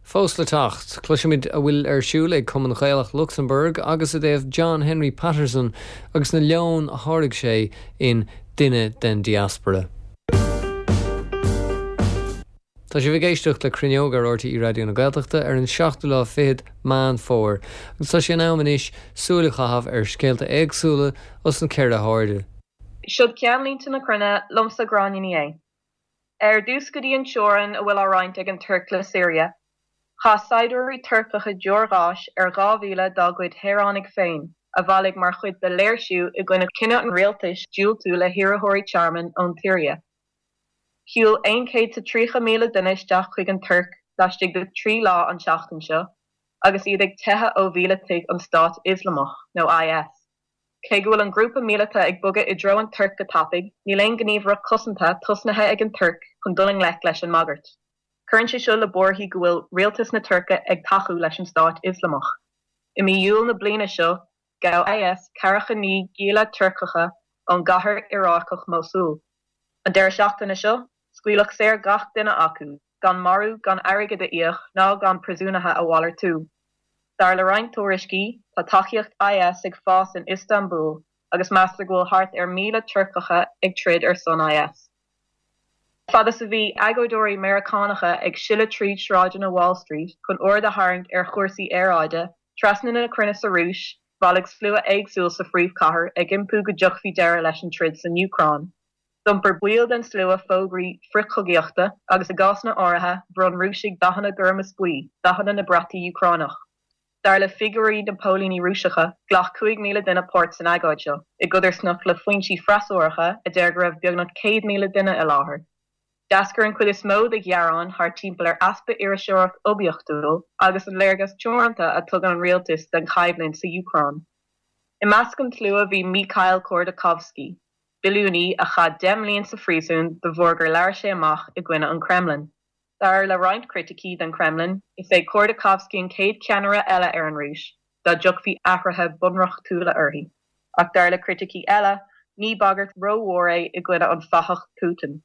Fós le teacht, cloisfimid a bhfuil ar siúl ag Cumann Gaelach Lucsamburg agus i dtaobh John Henry Patterson agus na leoin a tháirg sé in duine den diaspora. Tá sibh ag éisteacht le Cruinneog ar RTÉ Raidió na Gaeltachta ar an seachtú lá fichead Meán Fómhair, agus tá sé in am anois súil a chaitheamh ar scéalta éagsúla os na ceithre hairde. Siod ceannlínte na cruinne liomsa Gráinne Ní Aodha. Ar dtús go dtí an teorainn a bhfuil á roinnt ag an Tuirc le Siria. Chaith saighdiúirí Turcacha deoir gháis ar dhá mhíle dá gcuid shaoránaigh féin a bhailigh mar chuid de léirsiú i gcoinne cinneadh an rialtais diúltú le hiarrthóirí tearmainn ón tSiria. Shiúil aon chéad is tríocha míle duine isteach chuig an Tuirc laistigh de trí lá an tseachtain seo agus iad ag teitheadh ó mhíleataigh an Stát Ioslamach nó IS. Cé go bhfuil an grúpa míleata ag bogadh i dtreo an Tuirc go tapaidh, níl aon ghníomhaireacht cosanta tosnaithe ag an Tuirc chun dul i ngleic leis an mbagairt. Cuireann sé seo le buarthaí go bhfuil rialtas na Tuirce ag tacú leis an Stát Ioslamach. I mí Iúil na bliana seo, ghabh IS ceathracha naoi gialla Turcacha ón gcathair Iarácach Mosul. An deireadh seachtaine seo, scaoileadh saor gach duine acu, gan marú, gan airgead a íoc ná gan príosúnaithe a mhalartú. Dar le roinnt tuairiscí, tá tacaíocht IS ag fás in Iostanbúl agus meastar go bhfuil thart ar míle Turcacha ag troid ar son IS. Fad is a bhí agóideoirí Meiriceánacha ag sileadh tríd sráideanna Wall Street chun aird a tharraingt ar chúrsaí aeráide, trasna na cruinne sa Rúis, bhailigh slua éagsúil sa phríomhchathair ag impí go dtiocfaí deireadh leis an troid san Úcráin. D'iompair baill den slua fógraí frithchogaíochta agus i gcásanna áirithe bhronn Rúisigh dathanna gorm is buí, dathanna na brataí Úcránach. Dar le figiúirí na póilíní Rúiseacha, ghlac cúig míle duine páirt san agóid seo, i gcodarsnacht le foinsí freasúracha a deir go raibh beagnach céad míle duine i láthair. D'eascair an chuid is mó de ghearáin thart timpeall ar easpa iriseoireacht oibiachtúil agus an léargas teoranta a tugann an rialtas den choimhlint sa Úcráin. I measc an tslua bhí Mikhail Khodorkovsky, billiúnaí a chaith deich mbliana sa phríosún de bharr gur labhair sé amach i gcoinne an Kremlin. Dar le roinnt criticí den Kremlin, is é Khodorkovsky an chéad cheannaire eile ar an Rúis dá dtiocfaí athruithe bunreachtúla uirthi. Ach dar le criticí eile, ní bagairt rómhór é i gcoinne an fathach Putin.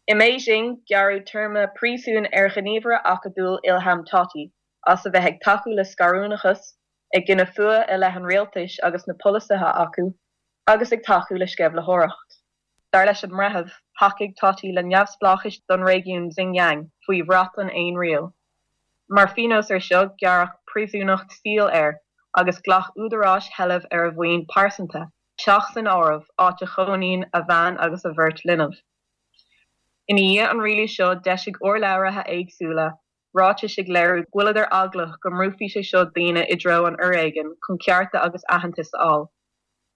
I mBeijing, gearradh téarma príosúin ar ghníomhaire acadúil Ilham Tohti as a bheith ag tacú le scarúnachas, ag gineadh fuath i leith an rialtais agus na polasaithe acu, agus ag tacú le sceimhlitheoireacht. Dar leis an mbreitheamh, thacaigh Tohti le neamhspleáchas don réigiún Xinjiang faoi bhrat an Aon Riail. Mar phionós air seo, gearradh príosúnacht saoil air agus ghlac údaráis sheilbh ar a mhaoin pearsanta, teach san áireamh, áit a chónaíonn a bhean agus a bheirt linbh. Ina dhiaidh an rialú seo, d'eisigh urlabhraithe éagsúla ráitis ag léiriú go bhfuileadar eaglach go mbrúfaí sé seo daoine i dtreo an fhoréigin chun cearta agus aitheantas a fháil.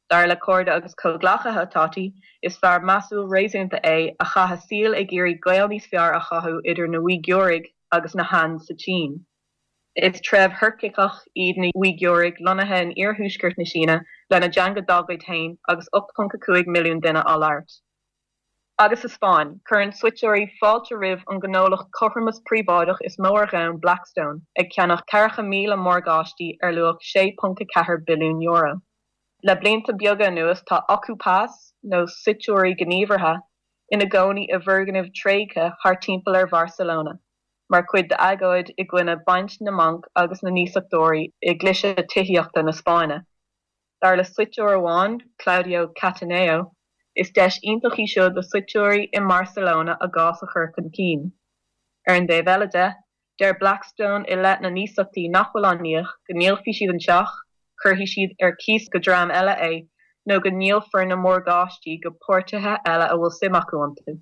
Dar le cairde agus comhghleacaithe Tohti, is fear measúil réasúnta é a chaith a saol ag iarraidh gaol níos fearr a chothú idir na hUigiúraigh agus na Han sa tSín. Is treibh Thuirciceach iad na hUigiúraigh lonnaithe in iarthuaisceart na Síne lena dteanga dá gcuid féin agus ocht ponc a cúig milliún duine á labhairt. Agus sa Spáinn, cuireann suiteoirí fáilte roimh an ngnólacht cothromas príobháideach is mó ar domhan, Blackstone, ag ceannach ceathracha míle morgáistí ar luach sé ponc a ceathair billiún euro. Le blianta beaga anuas tá okupas, nó suiteoirí gníomhartha, ina gcónaí i bhfoirgnimh tréigthe thart timpeall ar Bharcelona, mar chuid d'agóid i gcoinne baint na mbanc agus na n-iasachtóirí i gcliseadh tithíochta na Spáinne. Dar le suiteoir amháin, Claudio Cattaneo, is deis iontach í seo do suiteoirí i mBarcelona a gcás a chur chun cinn. Ar an dtaobh eile de, deir Blackstone i leith na n-iasachtaí nach bhfuil á n-íoc go ndíolfaidh siad an teach, cuirfidh siad ar cíos go dream eile é nó go ndíolfar na morgáistí go páirtithe eile a bhfuil suim acu iontu.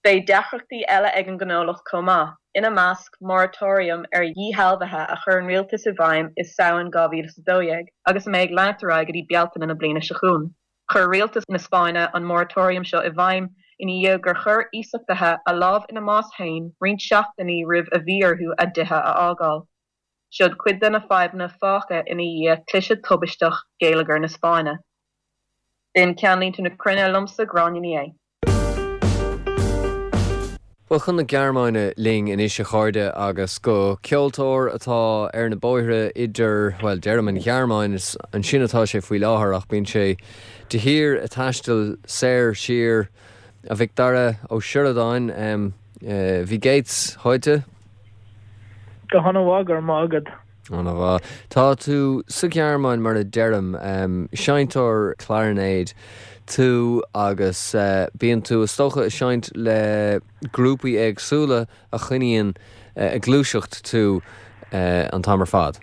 Beidh deacrachtaí eile ag an ngnólacht chomh maith, ina measc moratorium ar dhíshealbhuithe a chuir an rialtas i bhfeidhm i Samhain dhá mhíle is a dó dhéag agus a mbeidh ag leanacht ar aghaidh go dtí Bealtaine na bliana seo chugainn. Chuir rialtas na Spáinne an moratorium seo i bhfeidhm ina dhiaidh gur chuir iasachtaithe a lámh ina mbás féin roinnt seachtainí roimh a bhí orthu a dtithe a fhágáil. Siod cuid de na fadhbanna fágtha ina dhiaidh cliseadh tubaisteach geilleagar na Spáinne. B'in ceannlínte na cruinne liomsa, Gráinne Ní Aodha. Bhuel, chun na Gearmáine linn anois a chairde agus go ceoltóir atá ar na bóithre idir, bhuel, deirim an Ghearmáin, is ansin atá sé faoi láthair ach bíonn sé de shíor ag taisteal soir siar, a Mhic Dara Ó Sioradáin, wie geht's heute? Go han-mhaith, go raibh maith agat. An-mhaith. Tá tú sa Ghearmáin mar a deirim, seinnteoir clarinéid tú agus bíonn tú is dócha ag seinnt le grúpaí éagsúla a choinníonn ag gluaiseacht tú an t-am ar fad.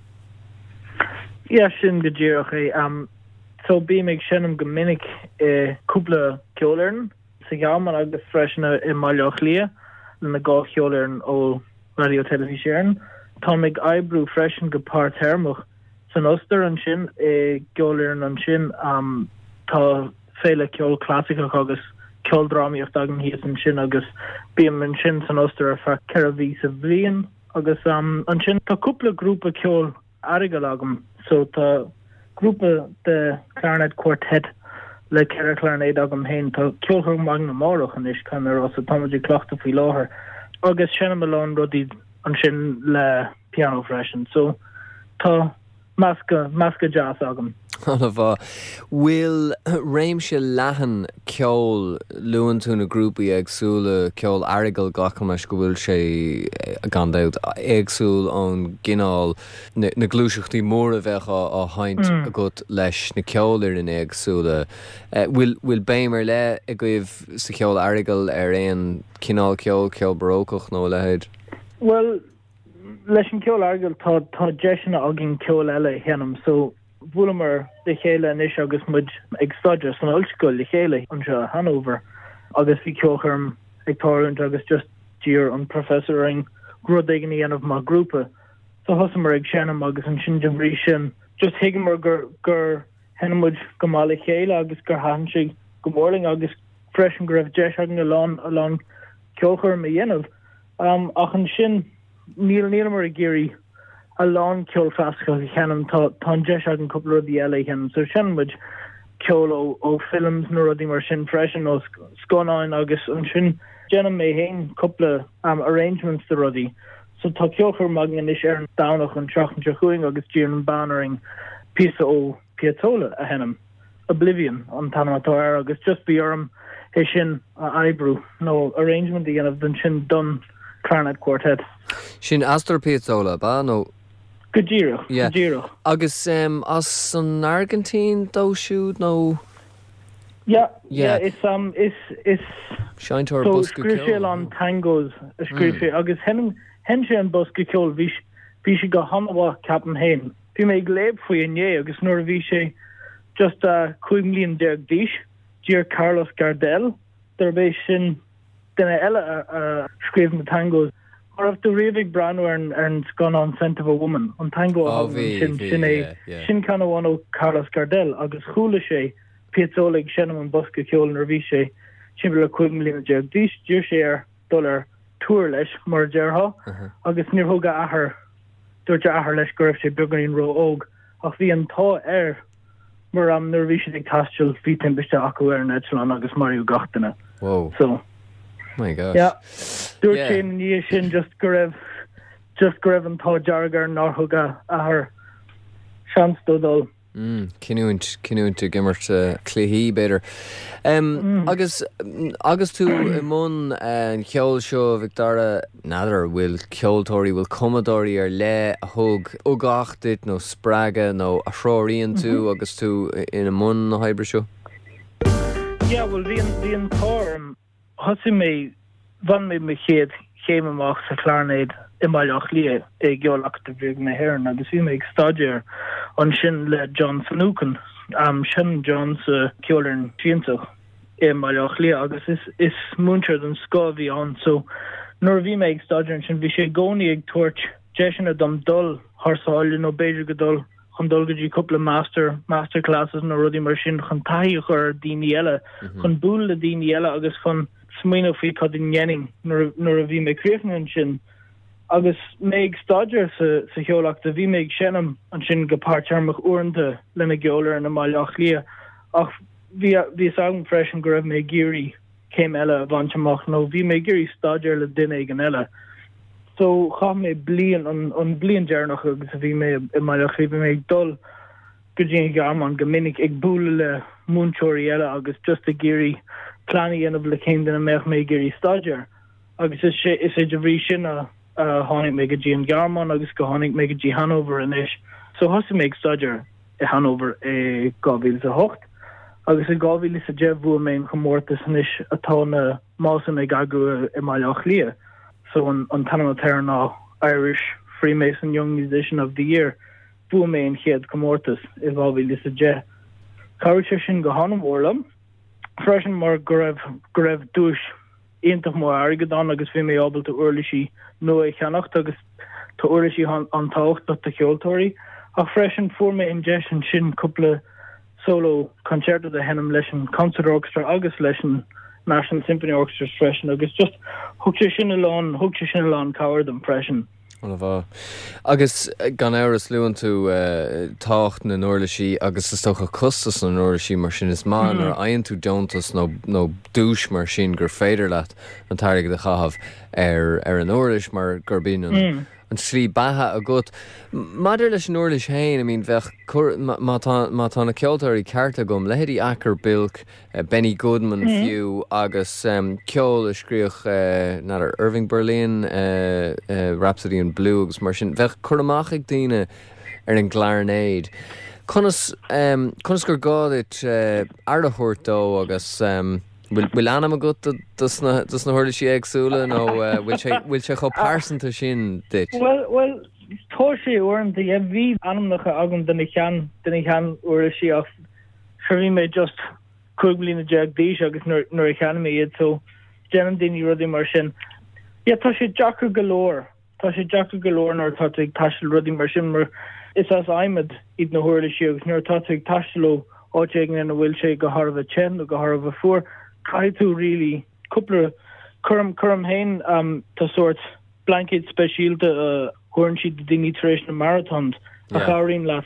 Yeah, sin go díreach é. So bím ag seinm go minic i cúpla ceolfhoireann sa Ghearmáin agus freisin i mBaile Átha Cliath le na dhá cheolfhoireann ó Raidió Teilifís Éireann. Táim ag oibriú freisin go páirtéarmach san Ostair ansin i gceolfhoireann ansin. Tá féile ceol clasaiceach agus ceoldrámaíocht againn thíos ansin agus bím ansin san Ostair ar feadh ceithre mhí sa bhliain agus ansin tá cúpla grúpa ceoil aireagail agam so tá grúpa de clarinet quartet le ceithre chlarinéad agam féin. Tá ceolchoirm againn amárach anois, caithfidh mé a rá, so táimid ag cleachtadh faoi láthair agus seinnim a lán rudaí ansin le pianó freisin. So tá meascadh, meascadh deas agam. An-mhaith. Bhfuil réimse leathan ceoil, luann tú na grúpaí éagsúla, ceol aireagail, glacaim leis go bhfuil sé, gan dabht, éagsúil ón gcineál, na gluaiseachtaí móra a bheadh á sheinnt agat leis na ceolfhoireann éagsúla. Bhfuil, bhfuil béim ar leith agaibh sa cheol aireagail ar aon chineál ceoil, ceol barócach nó a leithéid? Bhuel, leis an gceol aireagail tá, tá deiseanna againn ceol eile a sheinm so bhuaileamar le chéile anois agus muid ag staidéar san ollscoil le chéile anseo i Hanover agus bhí ceolchoirm ag tarlúint agus just d'iarr an professor orainn rud éigin a dhéanamh mar grúpa. So thosaíomar ag seinm agus ansin de bhrí sin just thuigeamar gur gur sheinn muid go maith le chéile agus gur thaitin sé go mór linn agus freisin go raibh deis againn a lán a lán ceolchoirm a dhéanamh. Um, ach ansin níl nílamar ag iarraidh a lán ceol clasaiceach a sheinm tá tá an deis againn cúpla rudaí eile a sheinm. So seinneann muid ceol ó ó films nó rudaí mar sin freisin ó scannáin agus ansin déanaim mé féin cúpla um, arrangements de rudaí. So tá ceolchoirm againn anois ar an Domhnach an tseachtain seo chugainn agus d'iarr an bean orainn píosa ó Piazzolla a sheinm. Oblivion an t-ainm atá air agus just bhí orm é sin a oibriú nó arrangement a dhéanamh don sin don clarinet quartet. Sin Astor Piazzolla ba nó Go díreach, Yeah. go díreach. Agus um, as an Argentín dó siúd nó Yeah, Yeah. yeah, is um is is seinnteoir so bosca scríobh sé ceoil. an tangos a scríobh sé agus sheinn sheinn sé an bosca ceoil bhí bhí sé go han-mhaith ceapaim féin. Bhí mé ag léamh faoi inné agus nuair a bhí sé just uh, cúig mbliana déag d'aois, d'iarr Carlos Gardel darb é sin duine eile a, a scríobh na tangos. Mar raibh tú riamh ag breathnú ar an ar an scannán Scent of a Woman, an tango a Oh, thagann bhí, sin bhí, sin é yeah, yeah. sin ceann amháin ó Carlos Gardel agus chuala sé Piazzolla ag seinm an bosca ceoil nuair a bhí sé timpeall le cúig mbliana déag d'aois, d'iarr sé air dul ar tour leis mar a déarfá Uh-huh. agus níor thug a athair dúirt a athair leis go raibh sé beagáinín ró-óg ach bhí an t-ádh air mar am nuair a bhí siad ag taisteal bhí timpiste acu ar an eitleán agus maraíodh gach duine. Whoa. So My gosh. yeah. Dúirt Yeah. sé ina dhiaidh sin just go raibh just go raibh an t-ádh dearg air nár thug a athair seans dó dul. Mm, cinniúint cinniúint ag imirt uh, cluichí b'fhéidir. Um, Mm. Agus agus tú i mbun uh, an cheoil seo Mhic Dara n'fheadar bhfuil ceoltóirí bhfuil cumadóirí ar leith a thug ugach duit nó spreagadh nó a threoraíonn tú Mhm. agus tú ina mbun na hoibre seo? Yeah, well bhí an bhí an t-ádh orm thosaigh mé bhain mé mo chéad chéim amach sa clarinet i mBaile Átha Cliath i gCeol-Acadamh Ríoga na hÉireann agus bhí mé ag staidéar ansin le John Finucane. Um, sin John sa Ceolfhoireann Siansach i mBaile Átha Cliath agus is is múinteoir den scoth a bhí ann so nuair a bhí mé ag staidéar ansin bhí sé i gcónaí ag tabhairt deiseanna dom dul thar sáile nó b'fhéidir go dul chun dul go dtí cúpla master master classes nó rudaí mar sin chun taithí a chur ar daoine eile chun bualadh le daoine eile agus chun smaoineamh faoi cad a dhéanfainn nuair nuair a bhí mé críochnaithe ansin. Agus mé ag staidéar sa sa Cheol-Acadamh bhí mé ag seinm ansin go páirtaimseartha uaireanta lena gceolfhoireann i mBaile Átha Cliath ach bhí bhí a fhios agam freisin go raibh mé ag iarraidh céim eile a bhaint amach nó bhí mé ag iarraidh staidéar le duine éigin eile. So chaith mé bliain an an bliain deireanach agus a bhí mé i mBaile Átha Cliath bhí mé ag dul go dtí an Ghearmáin go minic ag bualadh le múinteoirí eile agus just ag iarraidh plean a dhéanamh le cén duine a mbeadh mé ag iarraidh staidéar. Agus is sé is é de bhrí sin a a tháinig mé go dtí an Ghearmáin agus go tháinig mé go dtí Hanover anois. So thosaigh mé ag staidéar i Hanover i dhá mhíle a hocht. Agus i dhá mhíle a deich bhuaigh mé an chomórtas anois atá na Másain ag eagrú i mBaile Átha Cliath. So an an t-ainm atá air ná Irish Freemason Young Musician of the Year. Bhuaigh mé an chéad comórtas i dhá mhíle a deich. Chabhraigh sé sin go han-mhór liom. Freisin mar go raibh go raibh duais iontach mór airgead ann agus bhí mé ábalta uirlisí nua a cheannacht agus tá uirlisí an-tábhachtach do cheoltóirí. Ach freisin fuair mé an deis ansin cúpla solo concerto a sheinm leis an Concert Orchestra agus leis an National Symphony Orchestra freisin agus just thug sé sin a lán thug sé sin a lán cabhair dom freisin. An-mhaith. Agus eh, gan amhras luann tú uh, tábhacht na n-uirlisí agus is dócha costas na n-uirlisí mar sin is maith nuair a fhaigheann tú deontas nó nó duais mar sin gur féidir leat an t-airgead a chaitheamh ar ar an uirlis mar gurb in an Mm. an slí beatha agat. Maidir leis an uirlis féin, I mean bheadh má tá má tá na ceoltóirí ceart agam leithéidí Acker Bilk, uh, Benny Goodman Mm. fiú agus um, ceol a scríobh uh, n'fheadar Irving Berlin, uh, uh, Rhapsody in Blue agus mar sin bheadh cur amach ag daoine ar an gclairnéad. Conas um, conas gur gá duit uh, aire a thabhairt dó agus um, bhfuil bhfuil ainm agat do- dos na dos na huirlisí éagsúla nó uh, bhfuil sé bhfuil sé chomh pearsanta sin duit. Well well Tá sé uaireanta yeah, bhí ainmneacha agam do na shean do na shean uirlisí ach sure bhí mé just cúig bliana déag d'aois agus nuair nuair a cheannaigh mé iad so déanann daoine rudaí mar sin. Yeah, tá sé deacair go leor. Tá sé deacair go leor nuair atá tú ag taisteal rudaí mar sin mar is as adhmad iad na huirlisí agus nuair atá tú ag taisteal ó áit éigin ina bhfuil sé go thar a bheith te nó go thar a bheith fuar, caithfidh tú really cúpla cuirim cuirim féin um, tá sórt blanket speisialta a thugann siad do daoine tar éis na marathons a chabhraíonn leat.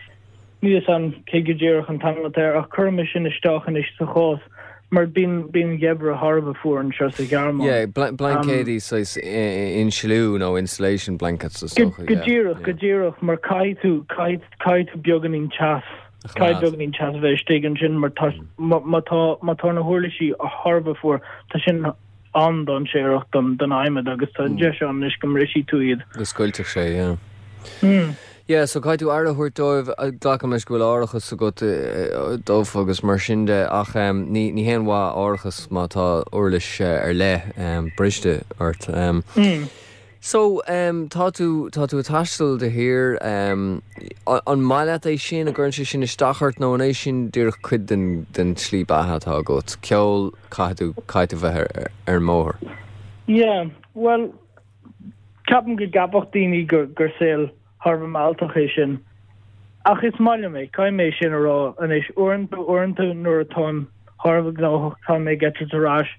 Níl a fhios agam cé go díreach an t-ainm atá air ach cuirim é sin isteach anois sa chás mar bíonn bíonn geimhreadh thar a bheith fuar anseo sa Ghearmáin. Yeah, blaincéidí saghas insliú nó insulation blankets is Go dócha, go yeah, díreach, yeah. go díreach mar caithfidh tú caithfidh caithfidh tú beagáinín teas A caithfidh choimeád. beagáinín teas a bheith istigh ansin mar tá má má tá má tá na huirlisí thar a bheith fuar tá sin an-dainséarach don don adhmad agus tá an deis ann anois go mbrisfidh tú iad. Go scoiltfeadh sé, yeah. Mm. Yeah, so caithfidh tú aire a thabhairt dóibh, glacaim leis go bhfuil árachas agat dóibh agus mar sin de ach ní ní haon mhaith árachas má tá uirlis ar leith briste ort. Mm. So um, tá tú tá tú ag taisteal de shíor um, an maith leat é sin an gcuireann sé sin isteach ort nó an é sin díreach cuid den den tslí beatha atá agat. Ceol caithfidh tú caithfidh tú bheith ar, ar an mbóthar. Yeah, well ceapaim go gceapfadh daoine gur gur saol thar a bheith mealltach é sin. Ach is maith liom é, caithfidh mé sin a rá anois uaireanta uaireanta nuair atáim thar a bheith gnóthach tá mé ag eitilt ar ais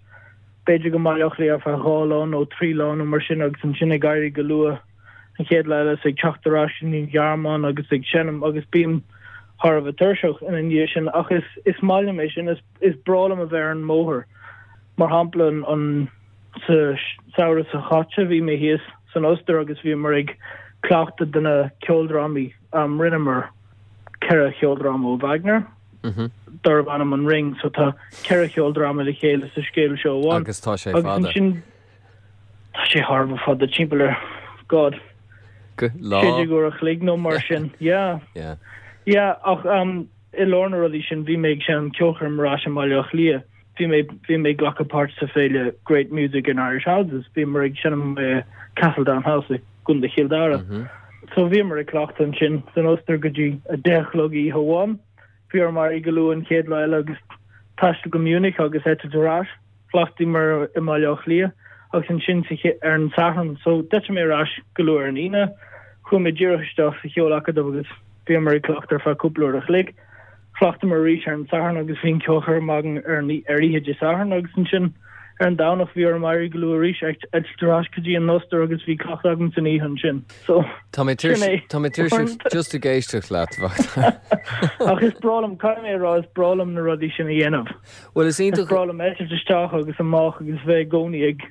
b'fhéidir go Baile Átha Cliath ar feadh dhá lá nó trí lá nó mar sin agus ansin ag éirí go luath an chéad lá eile is ag teacht ar ais an Ghearmáin agus ag seinm agus bím thar a bheith tuirseach ina dhiaidh sin ach is is maith liom é sin is is breá liom a bheith ar an mbóthar. Mar shampla an, an sa samhradh seo caite bhí mé thíos san Ostair agus bhíomar ag cleachtadh do na ceoldrámaí um, rinneamar ceithre cheoldráma ó Wagner. Mm -hmm. Darb ainm an Ring, so tá ceithre cheoldráma le chéile sa scéal seo amháin. Agus tá sé Agus fada. ansin tá sé thar a bheith fada timpeall ar God Go lá. sé uair a chloig nó mar sin. Yeah. Yeah. Yeah, ach um, i lár na rudaí sin bhí mé ag seinm ceolchoirm ar ais i mBaile Átha Cliath. Bhí mé bhí mé ag glacadh páirt sa féile Great Music in Irish Houses. Bhíomar ag seinm uh, Castledown House i gContae Chill Dara. Mm -hmm. So bhíomar ag cleachtadh ansin san Ostair go dtí a deich a chlog oíche amháin. Bhí orm éirí go luath an chéad lá eile agus taisteal go Munich agus eitilt ar ais. Chleachtaíomar i mBaile Átha Cliath agus ansin sa ché- ar an Satharn, so d'eitil mé ar ais go luath ar an Aoine. Chuaigh mé díreach isteach sa cheolacadamh agus bhíomar ag cleachtadh ar feadh cúpla uair a chloig. Chleachtamar arís ar an Satharn agus bhí an ceolchoirm againn ar an ar oíche Dé Sathairn agus ansin ar an Domhnach bhí orm éirí go luath arís eitilt ar ais go dtí an Ostair agus bhí cleachtadh agam san oíche ansin. So Tá mé sin é. Tá mé tuirseach just ag éisteacht leat Mhacdara. Ach is breá liom caithfidh mé a rá is breá liom na rudaí sin a dhéanamh. Well is Is iontach breá liom eitilt isteach agus amach agus bheith i gcónaí ag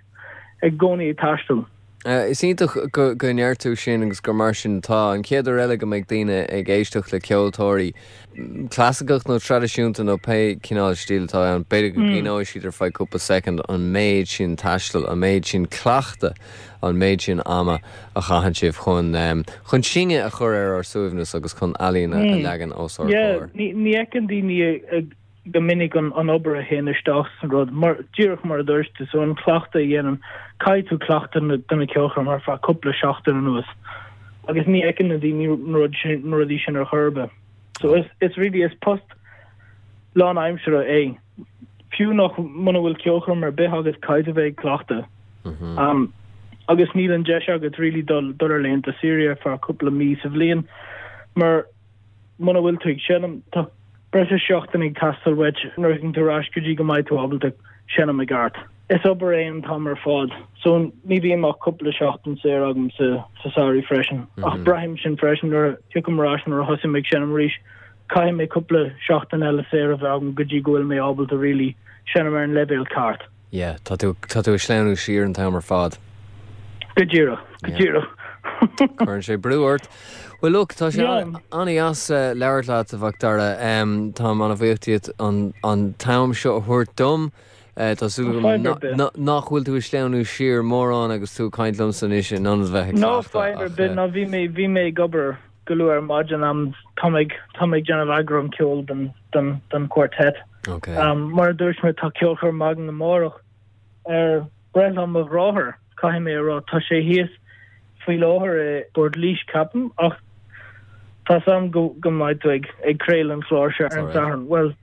i gcónaí ag taisteal. Uh, is iontach go go ndeir tú sin agus gur mar sin tá an chéad uair eile go mbeidh daoine ag éisteacht le ceoltóirí mm, clasaiceach nó traidisiúnta nó pé cineál stíl atá ann b'fhéidir go gcuimhneoidh siad ar feadh cúpla soicind an méid sin taistil, an méid sin cleachta, an méid sin ama a chaitheann sibh chun um, chun síne a chur ar ár suaimhneas agus chun ealaín a Mm. leagan os ár Yeah, gcomhair. ní ní fheiceann daoine ag go minic an an obair a théann isteach san rud mar díreach mar a dúirt tú so an cleachtadh a dhéanann caithfidh tú cleachtadh na do na ceolchoirm ar feadh cúpla seachtain anuas. Agus ní fheiceann na daoine na rud sin na rudaí sin ar chor ar bith. So is is really is post lánaimseartha é. Fiú nach muna bhfuil ceolchoirm ar bith agus caithfidh tú bheith ag cleachtadh. Mhm. Um, agus níl an deis agat really dul dul ar laethanta saoire feadh cúpla mí sa bhliain mar muna bhfuil tú ag seinm tá breis is seachtain ag teastáil uait nuair a thagann tú ar ais go dtí go mbeidh tú ábalta seinm i gceart. Is obair é an t-am ar fad, so ní bhíonn ach cúpla seachtain saor agam sa sa samhradh freisin. Ach Mhm. braithim sin freisin nuair a thiocfaim ar ais nuair a thosaím ag seinm arís caithfidh mé cúpla seachtain eile saor a bheith agam go dtí go bhfuil mé ábalta really seinm ar an leibhéal ceart. Yeah, tá tú tá tú ag sleamhnú siar an t-am ar fad. Go díreach, go Yeah. díreach. Cuireann sé brú ort. Well look, tá sé Yeah. an-deas uh, labhairt leat a Mhacdara um, Tá an-bhuíoch díot an, an t-am seo a thabhairt dom. Uh, tá súil Fadhb ar bith. nach bhfuil tú ag sleamhnú siar mórán agus tú ag caint liomsa anois in ionad bheith ag No cleachtadh, fadhb ar ach, bith uh, ná bhí mé bhí mé ag obair go luath ar maidin am tá mé tá mé ag déanamh eagrán ceoil den den den quartet. Okay. Um, mar a dúirt mé tá ceolchoirm againn amárach ar breithlá mo dhearthár caithfidh mé a rá tá sé thíos faoi láthair i bPort Laoise ceapaim ach tá a fhios agam go go mbeidh tú ag ag craoladh an chlár seo ar an Satharn. Well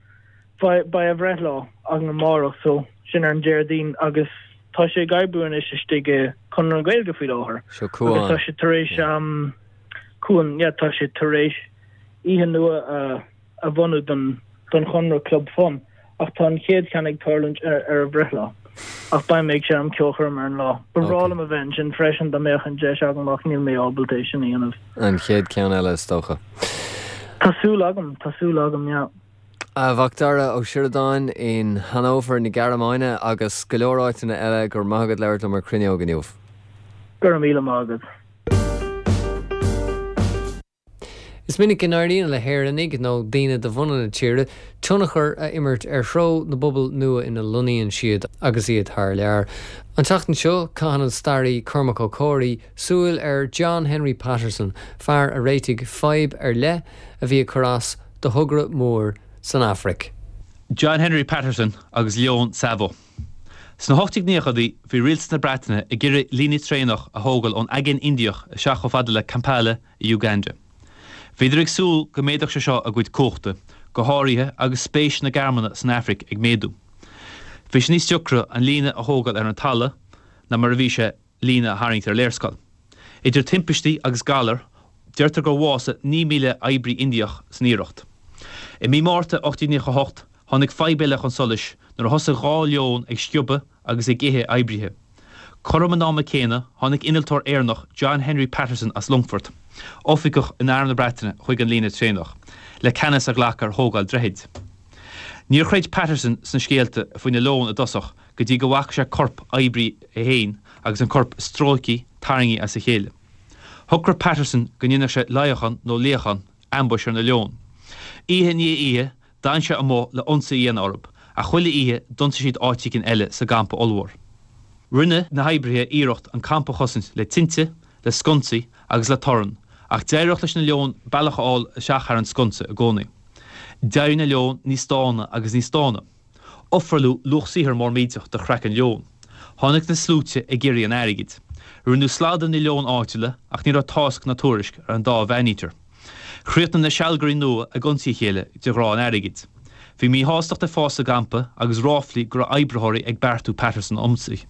beidh a bhreithlá againn amárach so sin ar an Déardaoin agus tá sé ag oibriú anois istigh i Conradh na Gaeilge faoi láthair. Seo Cuan. Agus tá sé tar éis um, Cuan, yeah, tá sé tar éis oíche nua a, a bhunú don, don Chonradh Club Fun ach tá an chéad cheann ag tarlúint ar, ar a bhreithlá. Ach beidh mé ag seinm ceolchoirm ar an lá. Ba bhreá liom a bheith ansin freisin dá mbeadh an deis agam ach níl mé ábalta é sin a dhéanamh. An chéad ceann eile is dócha. Tá súil agam, tá súil agam, yeah. A Mhacdara Ó Sioradáin in Hannover na Gearmáine agus go leor áiteanna eile go raibh maith agat labhairt liom ar Cruinneog inniu. Go raibh míle maith agat. Is minic go n-éiríonn le hÉireannaigh, nó daoine de bhunadh na tíre, tionchar a imirt ar threo na bpobal nua ina lonnaíonn siad agus iad thar lear. An tseachtain seo, caitheann an staraí Cormac Ó Comhraí súil ar John Henry Patterson, fear a réitigh fadhb ar leith a bhí ag cur as do thogra mór san Afraic. John Henry Patterson agus Leoin Tsavo. Sna hocht déag naochaidí bhí rialtas na Breataine ag iarraidh líne traenach a thógáil ón Aigéan Indiach isteach chomh fada le Kampala i Uganda. Bhíodar ag súil go méadódh sé seo a gcuid cumhachta, go háirithe agus spéis na Gearmáine san Afraic ag méadú. Bhí sé níos deacra an líne a thógáil ar an talamh ná mar a bhí sé líne a tharraingt ar léarscáil. Idir timpistí agus galair, deirtear gur bhásaigh naoi míle oibrí Indiach san iarracht. I mí Márta ocht déag naocha a hocht, tháinig fadhb eile chun solais nuair a thosaigh dhá leon ag sciobadh agus ag ithe oibrithe. Cothrom an ama céanna, tháinig innealtóir Éireannach John Henry Patterson as Longfort, oifigeach in Arm na Breataine, chuig an líne traenach, le ceannas a ghlacadh ar thógáil droichid. Níor chreid Patterson sna scéalta faoi na leoin i dtosach go dtí go bhfaca sé corp oibrí é féin agus an corp stróicthe, tarraingthe as a chéile. Shocraigh Patterson go ndéanfadh sé luíochán nó luíochán, ambush, ar na leoin. Oíche i ndiaidh oíche, d'fhan sé amuigh le ionsaí a dhéanamh orthu, ach chuile oíche d'ionsaigh siad áit éigin eile sa gcampa ollmhór. Rinne na hoibrithe iarracht an campa a chosaint le tinte, le sconsaí agus le torann, ach d'éireodh leis na leoin bealach a fháil isteach thar an sconsa i gcónaí. D'éirigh na leoin níos dána agus níos dána. Ofráladh luach saothair mór millteach do chraiceann leoin. Tháinig na sluaite ag iarraidh an airgid. Rinneadh slad de na leoin áitiúla ach ní raibh tásc ná tuairisc ar an dá mhaneater. Chríochnaigh na sealgairí nua ag ionsaí a chéile de ghrá an airgid. Bhí míshástacht ag fás sa gcampa agus ráflaí go raibh oibritheoirí ag beartú Patterson a ionsaí.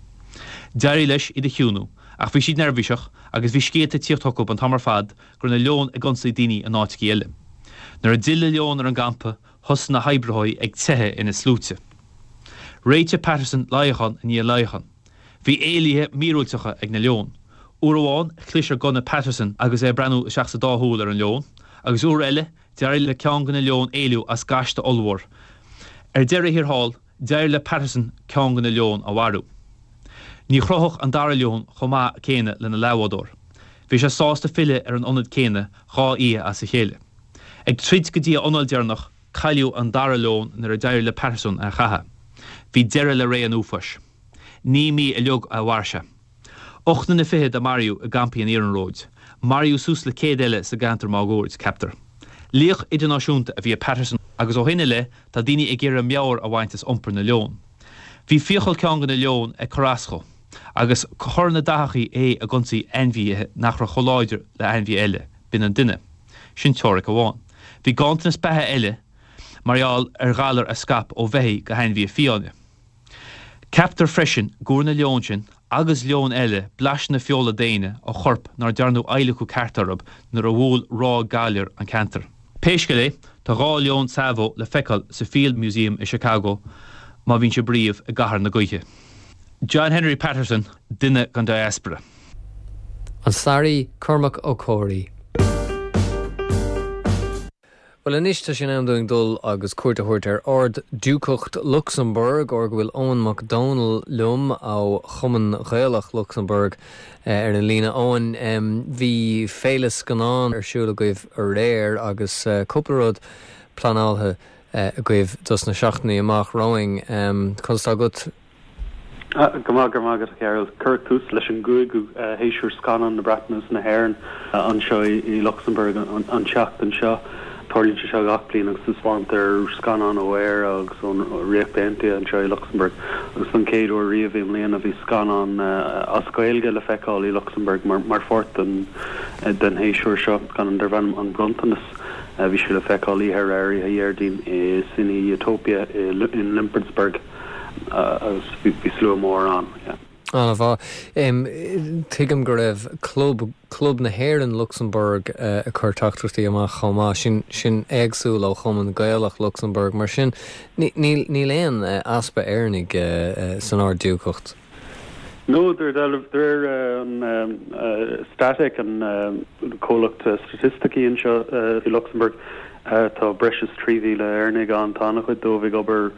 D'éirigh leis iad a chiúnú ach bhí siad neirbhíseach agus bhí scéalta ag tíocht chucu an t-am ar fad go raibh na leoin ag ionsaí daoine in áiteachaí eile. Nuair a d'fhill na leoin ar an gcampa thosaigh na hoibritheoirí ag teitheadh ina sluaite. Réitigh Patterson luíochán i ndiaidh luíocháin. Bhí éalaithe míorúilteacha ag na leoin. Uair amháin, chlis ar gunna Patterson agus é ag breathnú isteach sa dá shúil ar an leon, agus uair eile, d'éirigh le ceann de na leoin éalú as gaiste ollmhór. Ar deireadh thiar thall, d'éirigh le Patterson ceann de na leoin a mharú. Ní chrochfadh an dara leon chomh maith céanna lena leathbhádóir. Bhí sé sásta filleadh ar an ionad céanna dhá oíche as a chéile. Ag troid go dtí a anáil deireanach, cailleadh an dara leon nuair a d'éirigh le Patterson é a chaitheamh. Bhí deireadh le ré an uafáis. Naoi mí uilig a mhair sé. Ocht nduine fichead a maraíodh i gcampaí an iarnróid. Maraíodh suas le céad eile sa gceantar máguaird, ceaptar. Laoch idirnáisiúnta a bhí i Patterson agus ó shin i leith tá daoine ag iarraidh meabhair a bhaint as iompar na leon. Bhí fiacail ceann de na leoin ag cur as dó agus chuir na daitheachaí é ag ionsaí ainmhithe nach raibh chomh láidir le hainmhithe eile, b'in an duine. Sin teoiric amháin. Bhí ganntanas beatha eile mar gheall ar ghalar a scaip ó bheithígh go hainmhithe fiáine. Ceaptar freisin go bhfuair na leoin sin agus leoin eile blaiseadh na feola daonna ó choirp nár dearnadh adhlacadh ceart orthu nuair a bhuail ráig galair an ceantar. Pé scéal é, tá dhá leon Tsavo le feiceáil sa Field Museum i Chicago má bhíonn sibh riamh i gcathair na gaoithe. John Henry Patterson, duine den diaspora. An staraí Cormac Ó Comhraí. Bhuel anois tá sé in am dúinn dul agus cuairt a thabhairt ar Ard-Diúcacht Lucsamburg, óir go bhfuil Eoin Mac Dónaill liom ó Chumann Gaelach Lucsamburg ar an líne. Eoin, bhí féile scannán ar siúl agaibh aréir agus cúpla rud pleanáilte agaibh dos na seachtainí amach romhainn. Conas tá agat? Go maith, go raibh maith agat, a Chearbhaill. Cuireadh tús leis an gcúigiú shéasúr scannán na Breataine is na hÉireann anseo i Lucsamburg an tseachtain seo. Tarlaíonn sé seo gach bliain agus taispeántar scannáin ó Éire agus ón Ríocht Aontaithe anseo i Lucsamburg Agus don chéad uair riamh i mbliana bhí scannán as Gaeilge le feiceáil i Lucsamburg mar mar pháirt den den shéasúr seo, scannán darb ainm An Bronntanas. Bhí sé le feiceáil oíche aréir, oíche Dhéardaoin i Cine Utopia i in Limpertsberg agus bhí slua mór ann. An-mhaith. Tuigim go raibh club Club na hÉireann Lucsamburg ag cur teachtaireachtaí amach chomh maith, sin sin éagsúil ó Chumann Gaelach Lucsamburg, mar sin níl níl aon easpa Éireannaigh san Ard-Diúcacht. No, de réir an Statec an comhlacht staitisticí anseo i Lucsamburg tá breis is trí mhíle Éireannaigh ann, tá an-chuid dóibh ag obair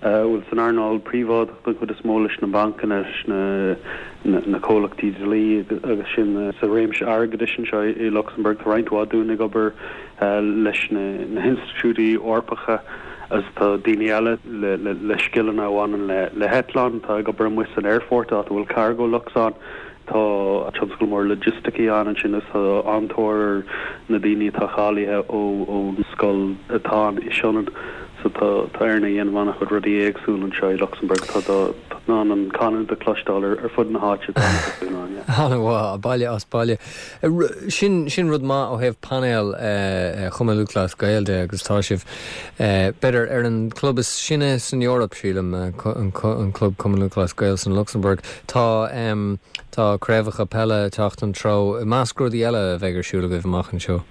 bhuel san earnáil príobháideach den chuid is mó leis na bancanna, leis na na comhlachtaí dlí agus sin sa réimse airgeadais anseo i Lucsamburg. Tá roinnt mhaith dúinn ag obair leis na na hinstitiúidí Eorpacha agus tá daoine eile le le le scileanna a bhaineann le le heitleáin, atá ag obair amuigh san aerfort áit a bhfuil Cargolux ann. Tá tionscal mór logisticí ann ansin agus tá an-tóir ar na daoine atá cáilithe ó ón scoil atá ann i Sionainn. So tá tá Éireannaigh ag déanamh an-chuid rudaí éagsúla anseo i Luxembourg. Tá tá in ann an canúint a chloisteáil ar ar fud na háite tá an ann, yeah. An-mhaith, baile as baile. Sin sin rud maith ó thaobh painéal Chumann Lúthchleas Gael de agus tá sibh b'fhéidir ar an club is sine san Eoraip sílim an club Cumann Lúthchleas Gael san Luxembourg. Tá tá craobhacha peile ag teacht an treo i measc rudaí eile a bheidh ar siúl agaibh amach anseo.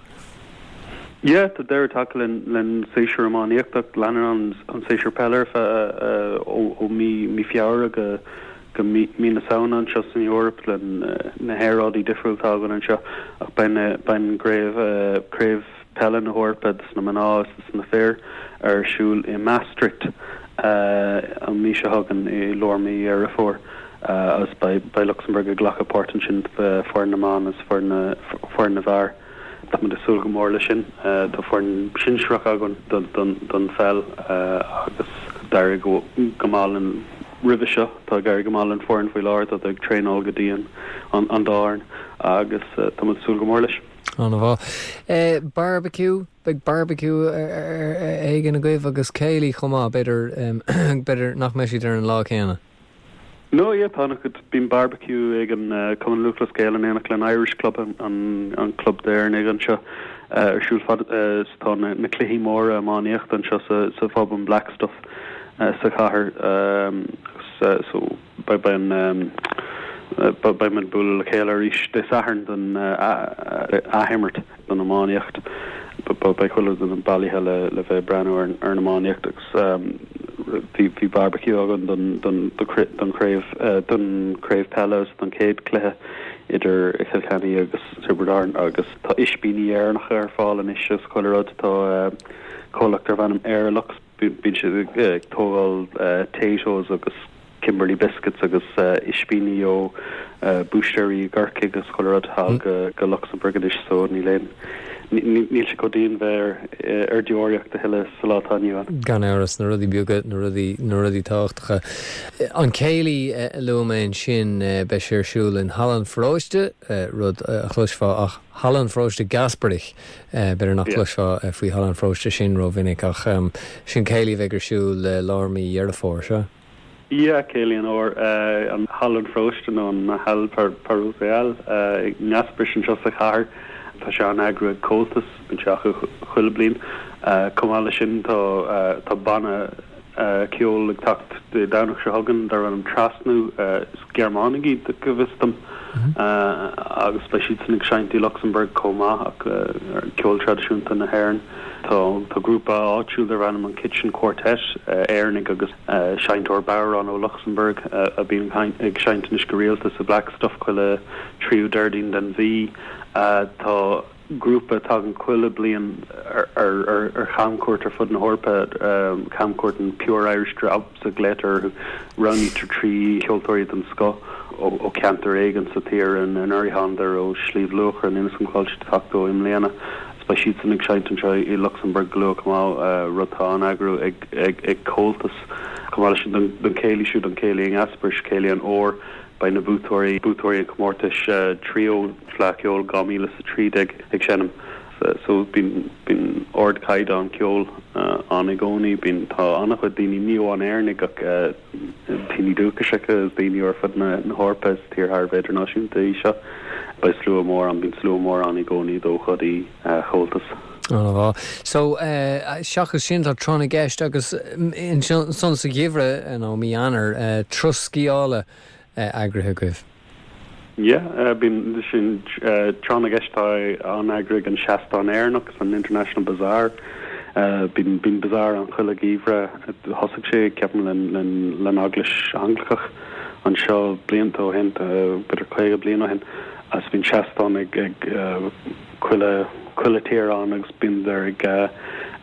Yeah, tá deireadh tagtha len len séasúr iománaíochta leanann an séasúr peile ar feadh ó mí mí Feabhra go go mí mí na Samhna anseo san Eoraip le na haeráidí difriúla atá againn anseo ach beidh na beidh an gcraobh craobh peile na hEorpa dos na mná is dos na fir ar siúl i Maastricht an mhí seo chugainn i lár mí Dheireadh Fómhair agus beidh beidh Luxembourg ag glacadh páirt ansin foireann na mban is foireann na foireann na bhfear. Tá muid ag súil go mór leis sin. Tá foireann sinsearach againn don don don pheil agus d'éirigh go go maith linn roimhe seo. Tá ag éirí go maith linn foireann faoi láthair, tá ag traenáil go dian an an dá fhoireann agus tá muid ag súil go mór leis. An-mhaith. Barbecue, beidh barbecue éigin agaibh agus céilí chomh maith, b'fhéidir b'fhéidir nach mbeidh siad ar an lá céanna. No, yeah, tá an-chuid bíonn barbecue ag an uh, Cumann Lúthchleas Gael in éineacht le Irish Club an, an, an club d'Éireannaigh anseo uh, ar siúl fad uh, tá na, na cluichí móra iománaíochta anseo sa, sa phub an Black Stuff uh, sa chathair um, uh, so beidh beidh an um, beidh muid bualadh le chéile arís Dé Sathairn don uh, athimirt don iománaíocht. Beidh chuile dhuine bailithe le le bheith breathnú ar ar an iománaíocht agus um, bhí bhí barbecue againn don don don chraobh uh, don chraobh peile don chéad chluiche idir Chill Chainnigh agus Tiobraid Árann agus tá ispíní Éireannacha ar fáil anois is chuile rud tá uh, comhlacht darb ainm Airlux bíonn siad ag tógáil uh, Taytos agus Kimberley biscuits agus uh, ispíní ó uh, búistéirí i gCorcaigh agus chuile rud thall go go Luxembourg anois so níl aon níl sé chomh dian bheith ar deoraíocht a thuilleadh sa lá atá inniu ann. Gan amhras na rudaí beaga na rudaí na rudaí tábhachtacha. An céilí a luaigh mé ansin beidh sé ar siúl in Halla an Pharóiste rud a chloisfeá ach Halla an Pharóiste Gasperich b'fhéidir nach gcloisfeá faoi Halla an Pharóiste sin rómhinic ach sin céilí bheidh ar siúl lár mí Dheireadh Fómhair seo. Yeah, céilí an fhómhair uh, an Halla an Pharóiste nó an Hall Parochial uh, i nGaspris anseo sa chathair. Tá sé á eagrú ag Comhaltas bíonn sé acu chuile bliain. Uh, Chomh maith leis sin tá uh, tá banna uh, ceoil ag teacht Dé Domhnaigh seo chugainn darb ainm Trasnú uh, Gearmánaigh iad go bhfios dom uh, agus beidh siad san ag seinnt i Luxembourg chomh maith ach uh, ceol traidisiúnta na hÉireann. Tá tá grúpa áitiúil darb ainm an Kitchen Quartet uh, Éireannaigh agus uh, seinnteoir bodhrán ó Luxembourg uh, a bhíonn ag seinnt anois go rialta sa Black Stuff chuile tríú Déardaoin den mhí. Uh, tá grúpa tagann chuile bliain ar ar ar ar chamcuairt ar fud na hEorpa um, camcuairt an Pure Irish Drops a glaotar roghnaítear trí cheoltóirí den scoth ó, ó cheantar éigin sa tír an an Airehandir ó Sliabh Luachra an Inis an Choillte tactó i mbliana. Beidh siad san ag seinnt anseo i Luxembourg go luath uh, rud atá á eagrú ag ag ag Comhaltas. Chomh maith leis sin don chéilí siúd an céilí in Gaspris céilí an fhómhair beidh na buaiteoirí buaiteoirí an comórtais uh, trio Fleadh Cheoil dhá mhíle is a trí déag ag seinm. so bíonn bíonn ardchaighdeán ceoil ann i gcónaí, bíonn tá an-chuid daoine, ní amháin Éireannaigh ach daoine dúchasacha is daoine ar fud na na hEorpa, is tír thar a bheith idirnáisiúnta í seo. Beidh slua mór ann, bíonn slua mór ann i gcónaí d'ócáidí Chomhaltas. An-mhaith. So seachas sin tá Tráth na gCeist agus ansan sa gheimhreadh nó mí Eanáir, turas sciála eagraithe agaibh. Yeah, bíonn sin Tráth na gCeist tá an-eagraithe ag an Seastán Éireannach san International Bazaar. Bíonn bíonn bazaar ann chuile gheimhreadh. Thosaigh sé ceapaim le le le Eaglais Anglacach anseo blianta ó shin, b'fhéidir caoga bliain ó shin, agus bíonn seastán ag ag chuile chuile tír ann agus bíonn ag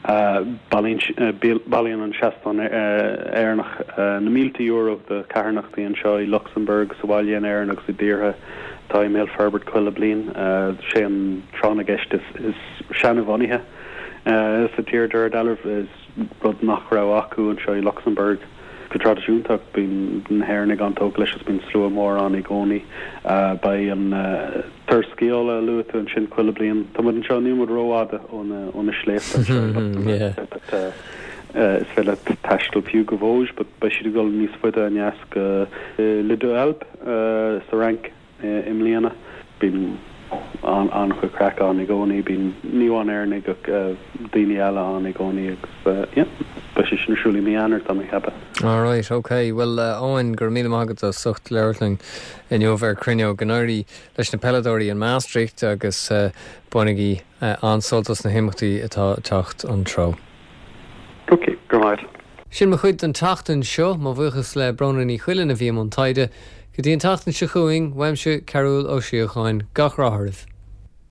Bailíonn an Seastán Éireannach na mílte euro do charthanachtaí anseo i Lucsamburg, sa bhaile in Éirinn agus i dtíortha atá i mbéal forbairt chuile bliain. Sé an tráth na gceist is seanbhunaithe sa tír de réir dealraimh. Is rud nach raibh acu anseo i Lucsamburg go traidisiúnta ach bíonn na hÉireannaigh an-tógtha leis agus bíonn slua mór ann i gcónaí. Beidh an turas sciála a luaigh tú ansin chuile bliain. Tá muid anseo, níl muid rófhada ó na sléibhte anseo i Lucsamburg but is féidir leat taisteal fiú go Vosges but beidh siad ag dul níos faide aneas go Les Deux Alpes sa Fhrainc i mbliana. Bíonn an-chuid craic ann i gcónaí, bíonn ní amháin Éireannaigh ach daoine eile ann i gcónaí agus yeah, beidh sé sin ar siúl i mí Eanáir, tá mé ag ceapadh. Alright, ok. Bhuel, Eoin, go raibh míle maith agat as ucht labhairt linn inniu ar Cruinneog. Go n-éirí leis na peileadóirí in Maastricht agus bainigí an-sult as na himeachtaí atá ag teacht an treo. Ok, go raibh maith agat. Sin mo chuid don tseachtain seo, mo bhuíochas le Bróna Ní Chuilinn a bhí i mbun taighde. Go dtí an tseachtain seo chugainn, uaimse Cearúll Ó Síocháin, gach rath oraibh.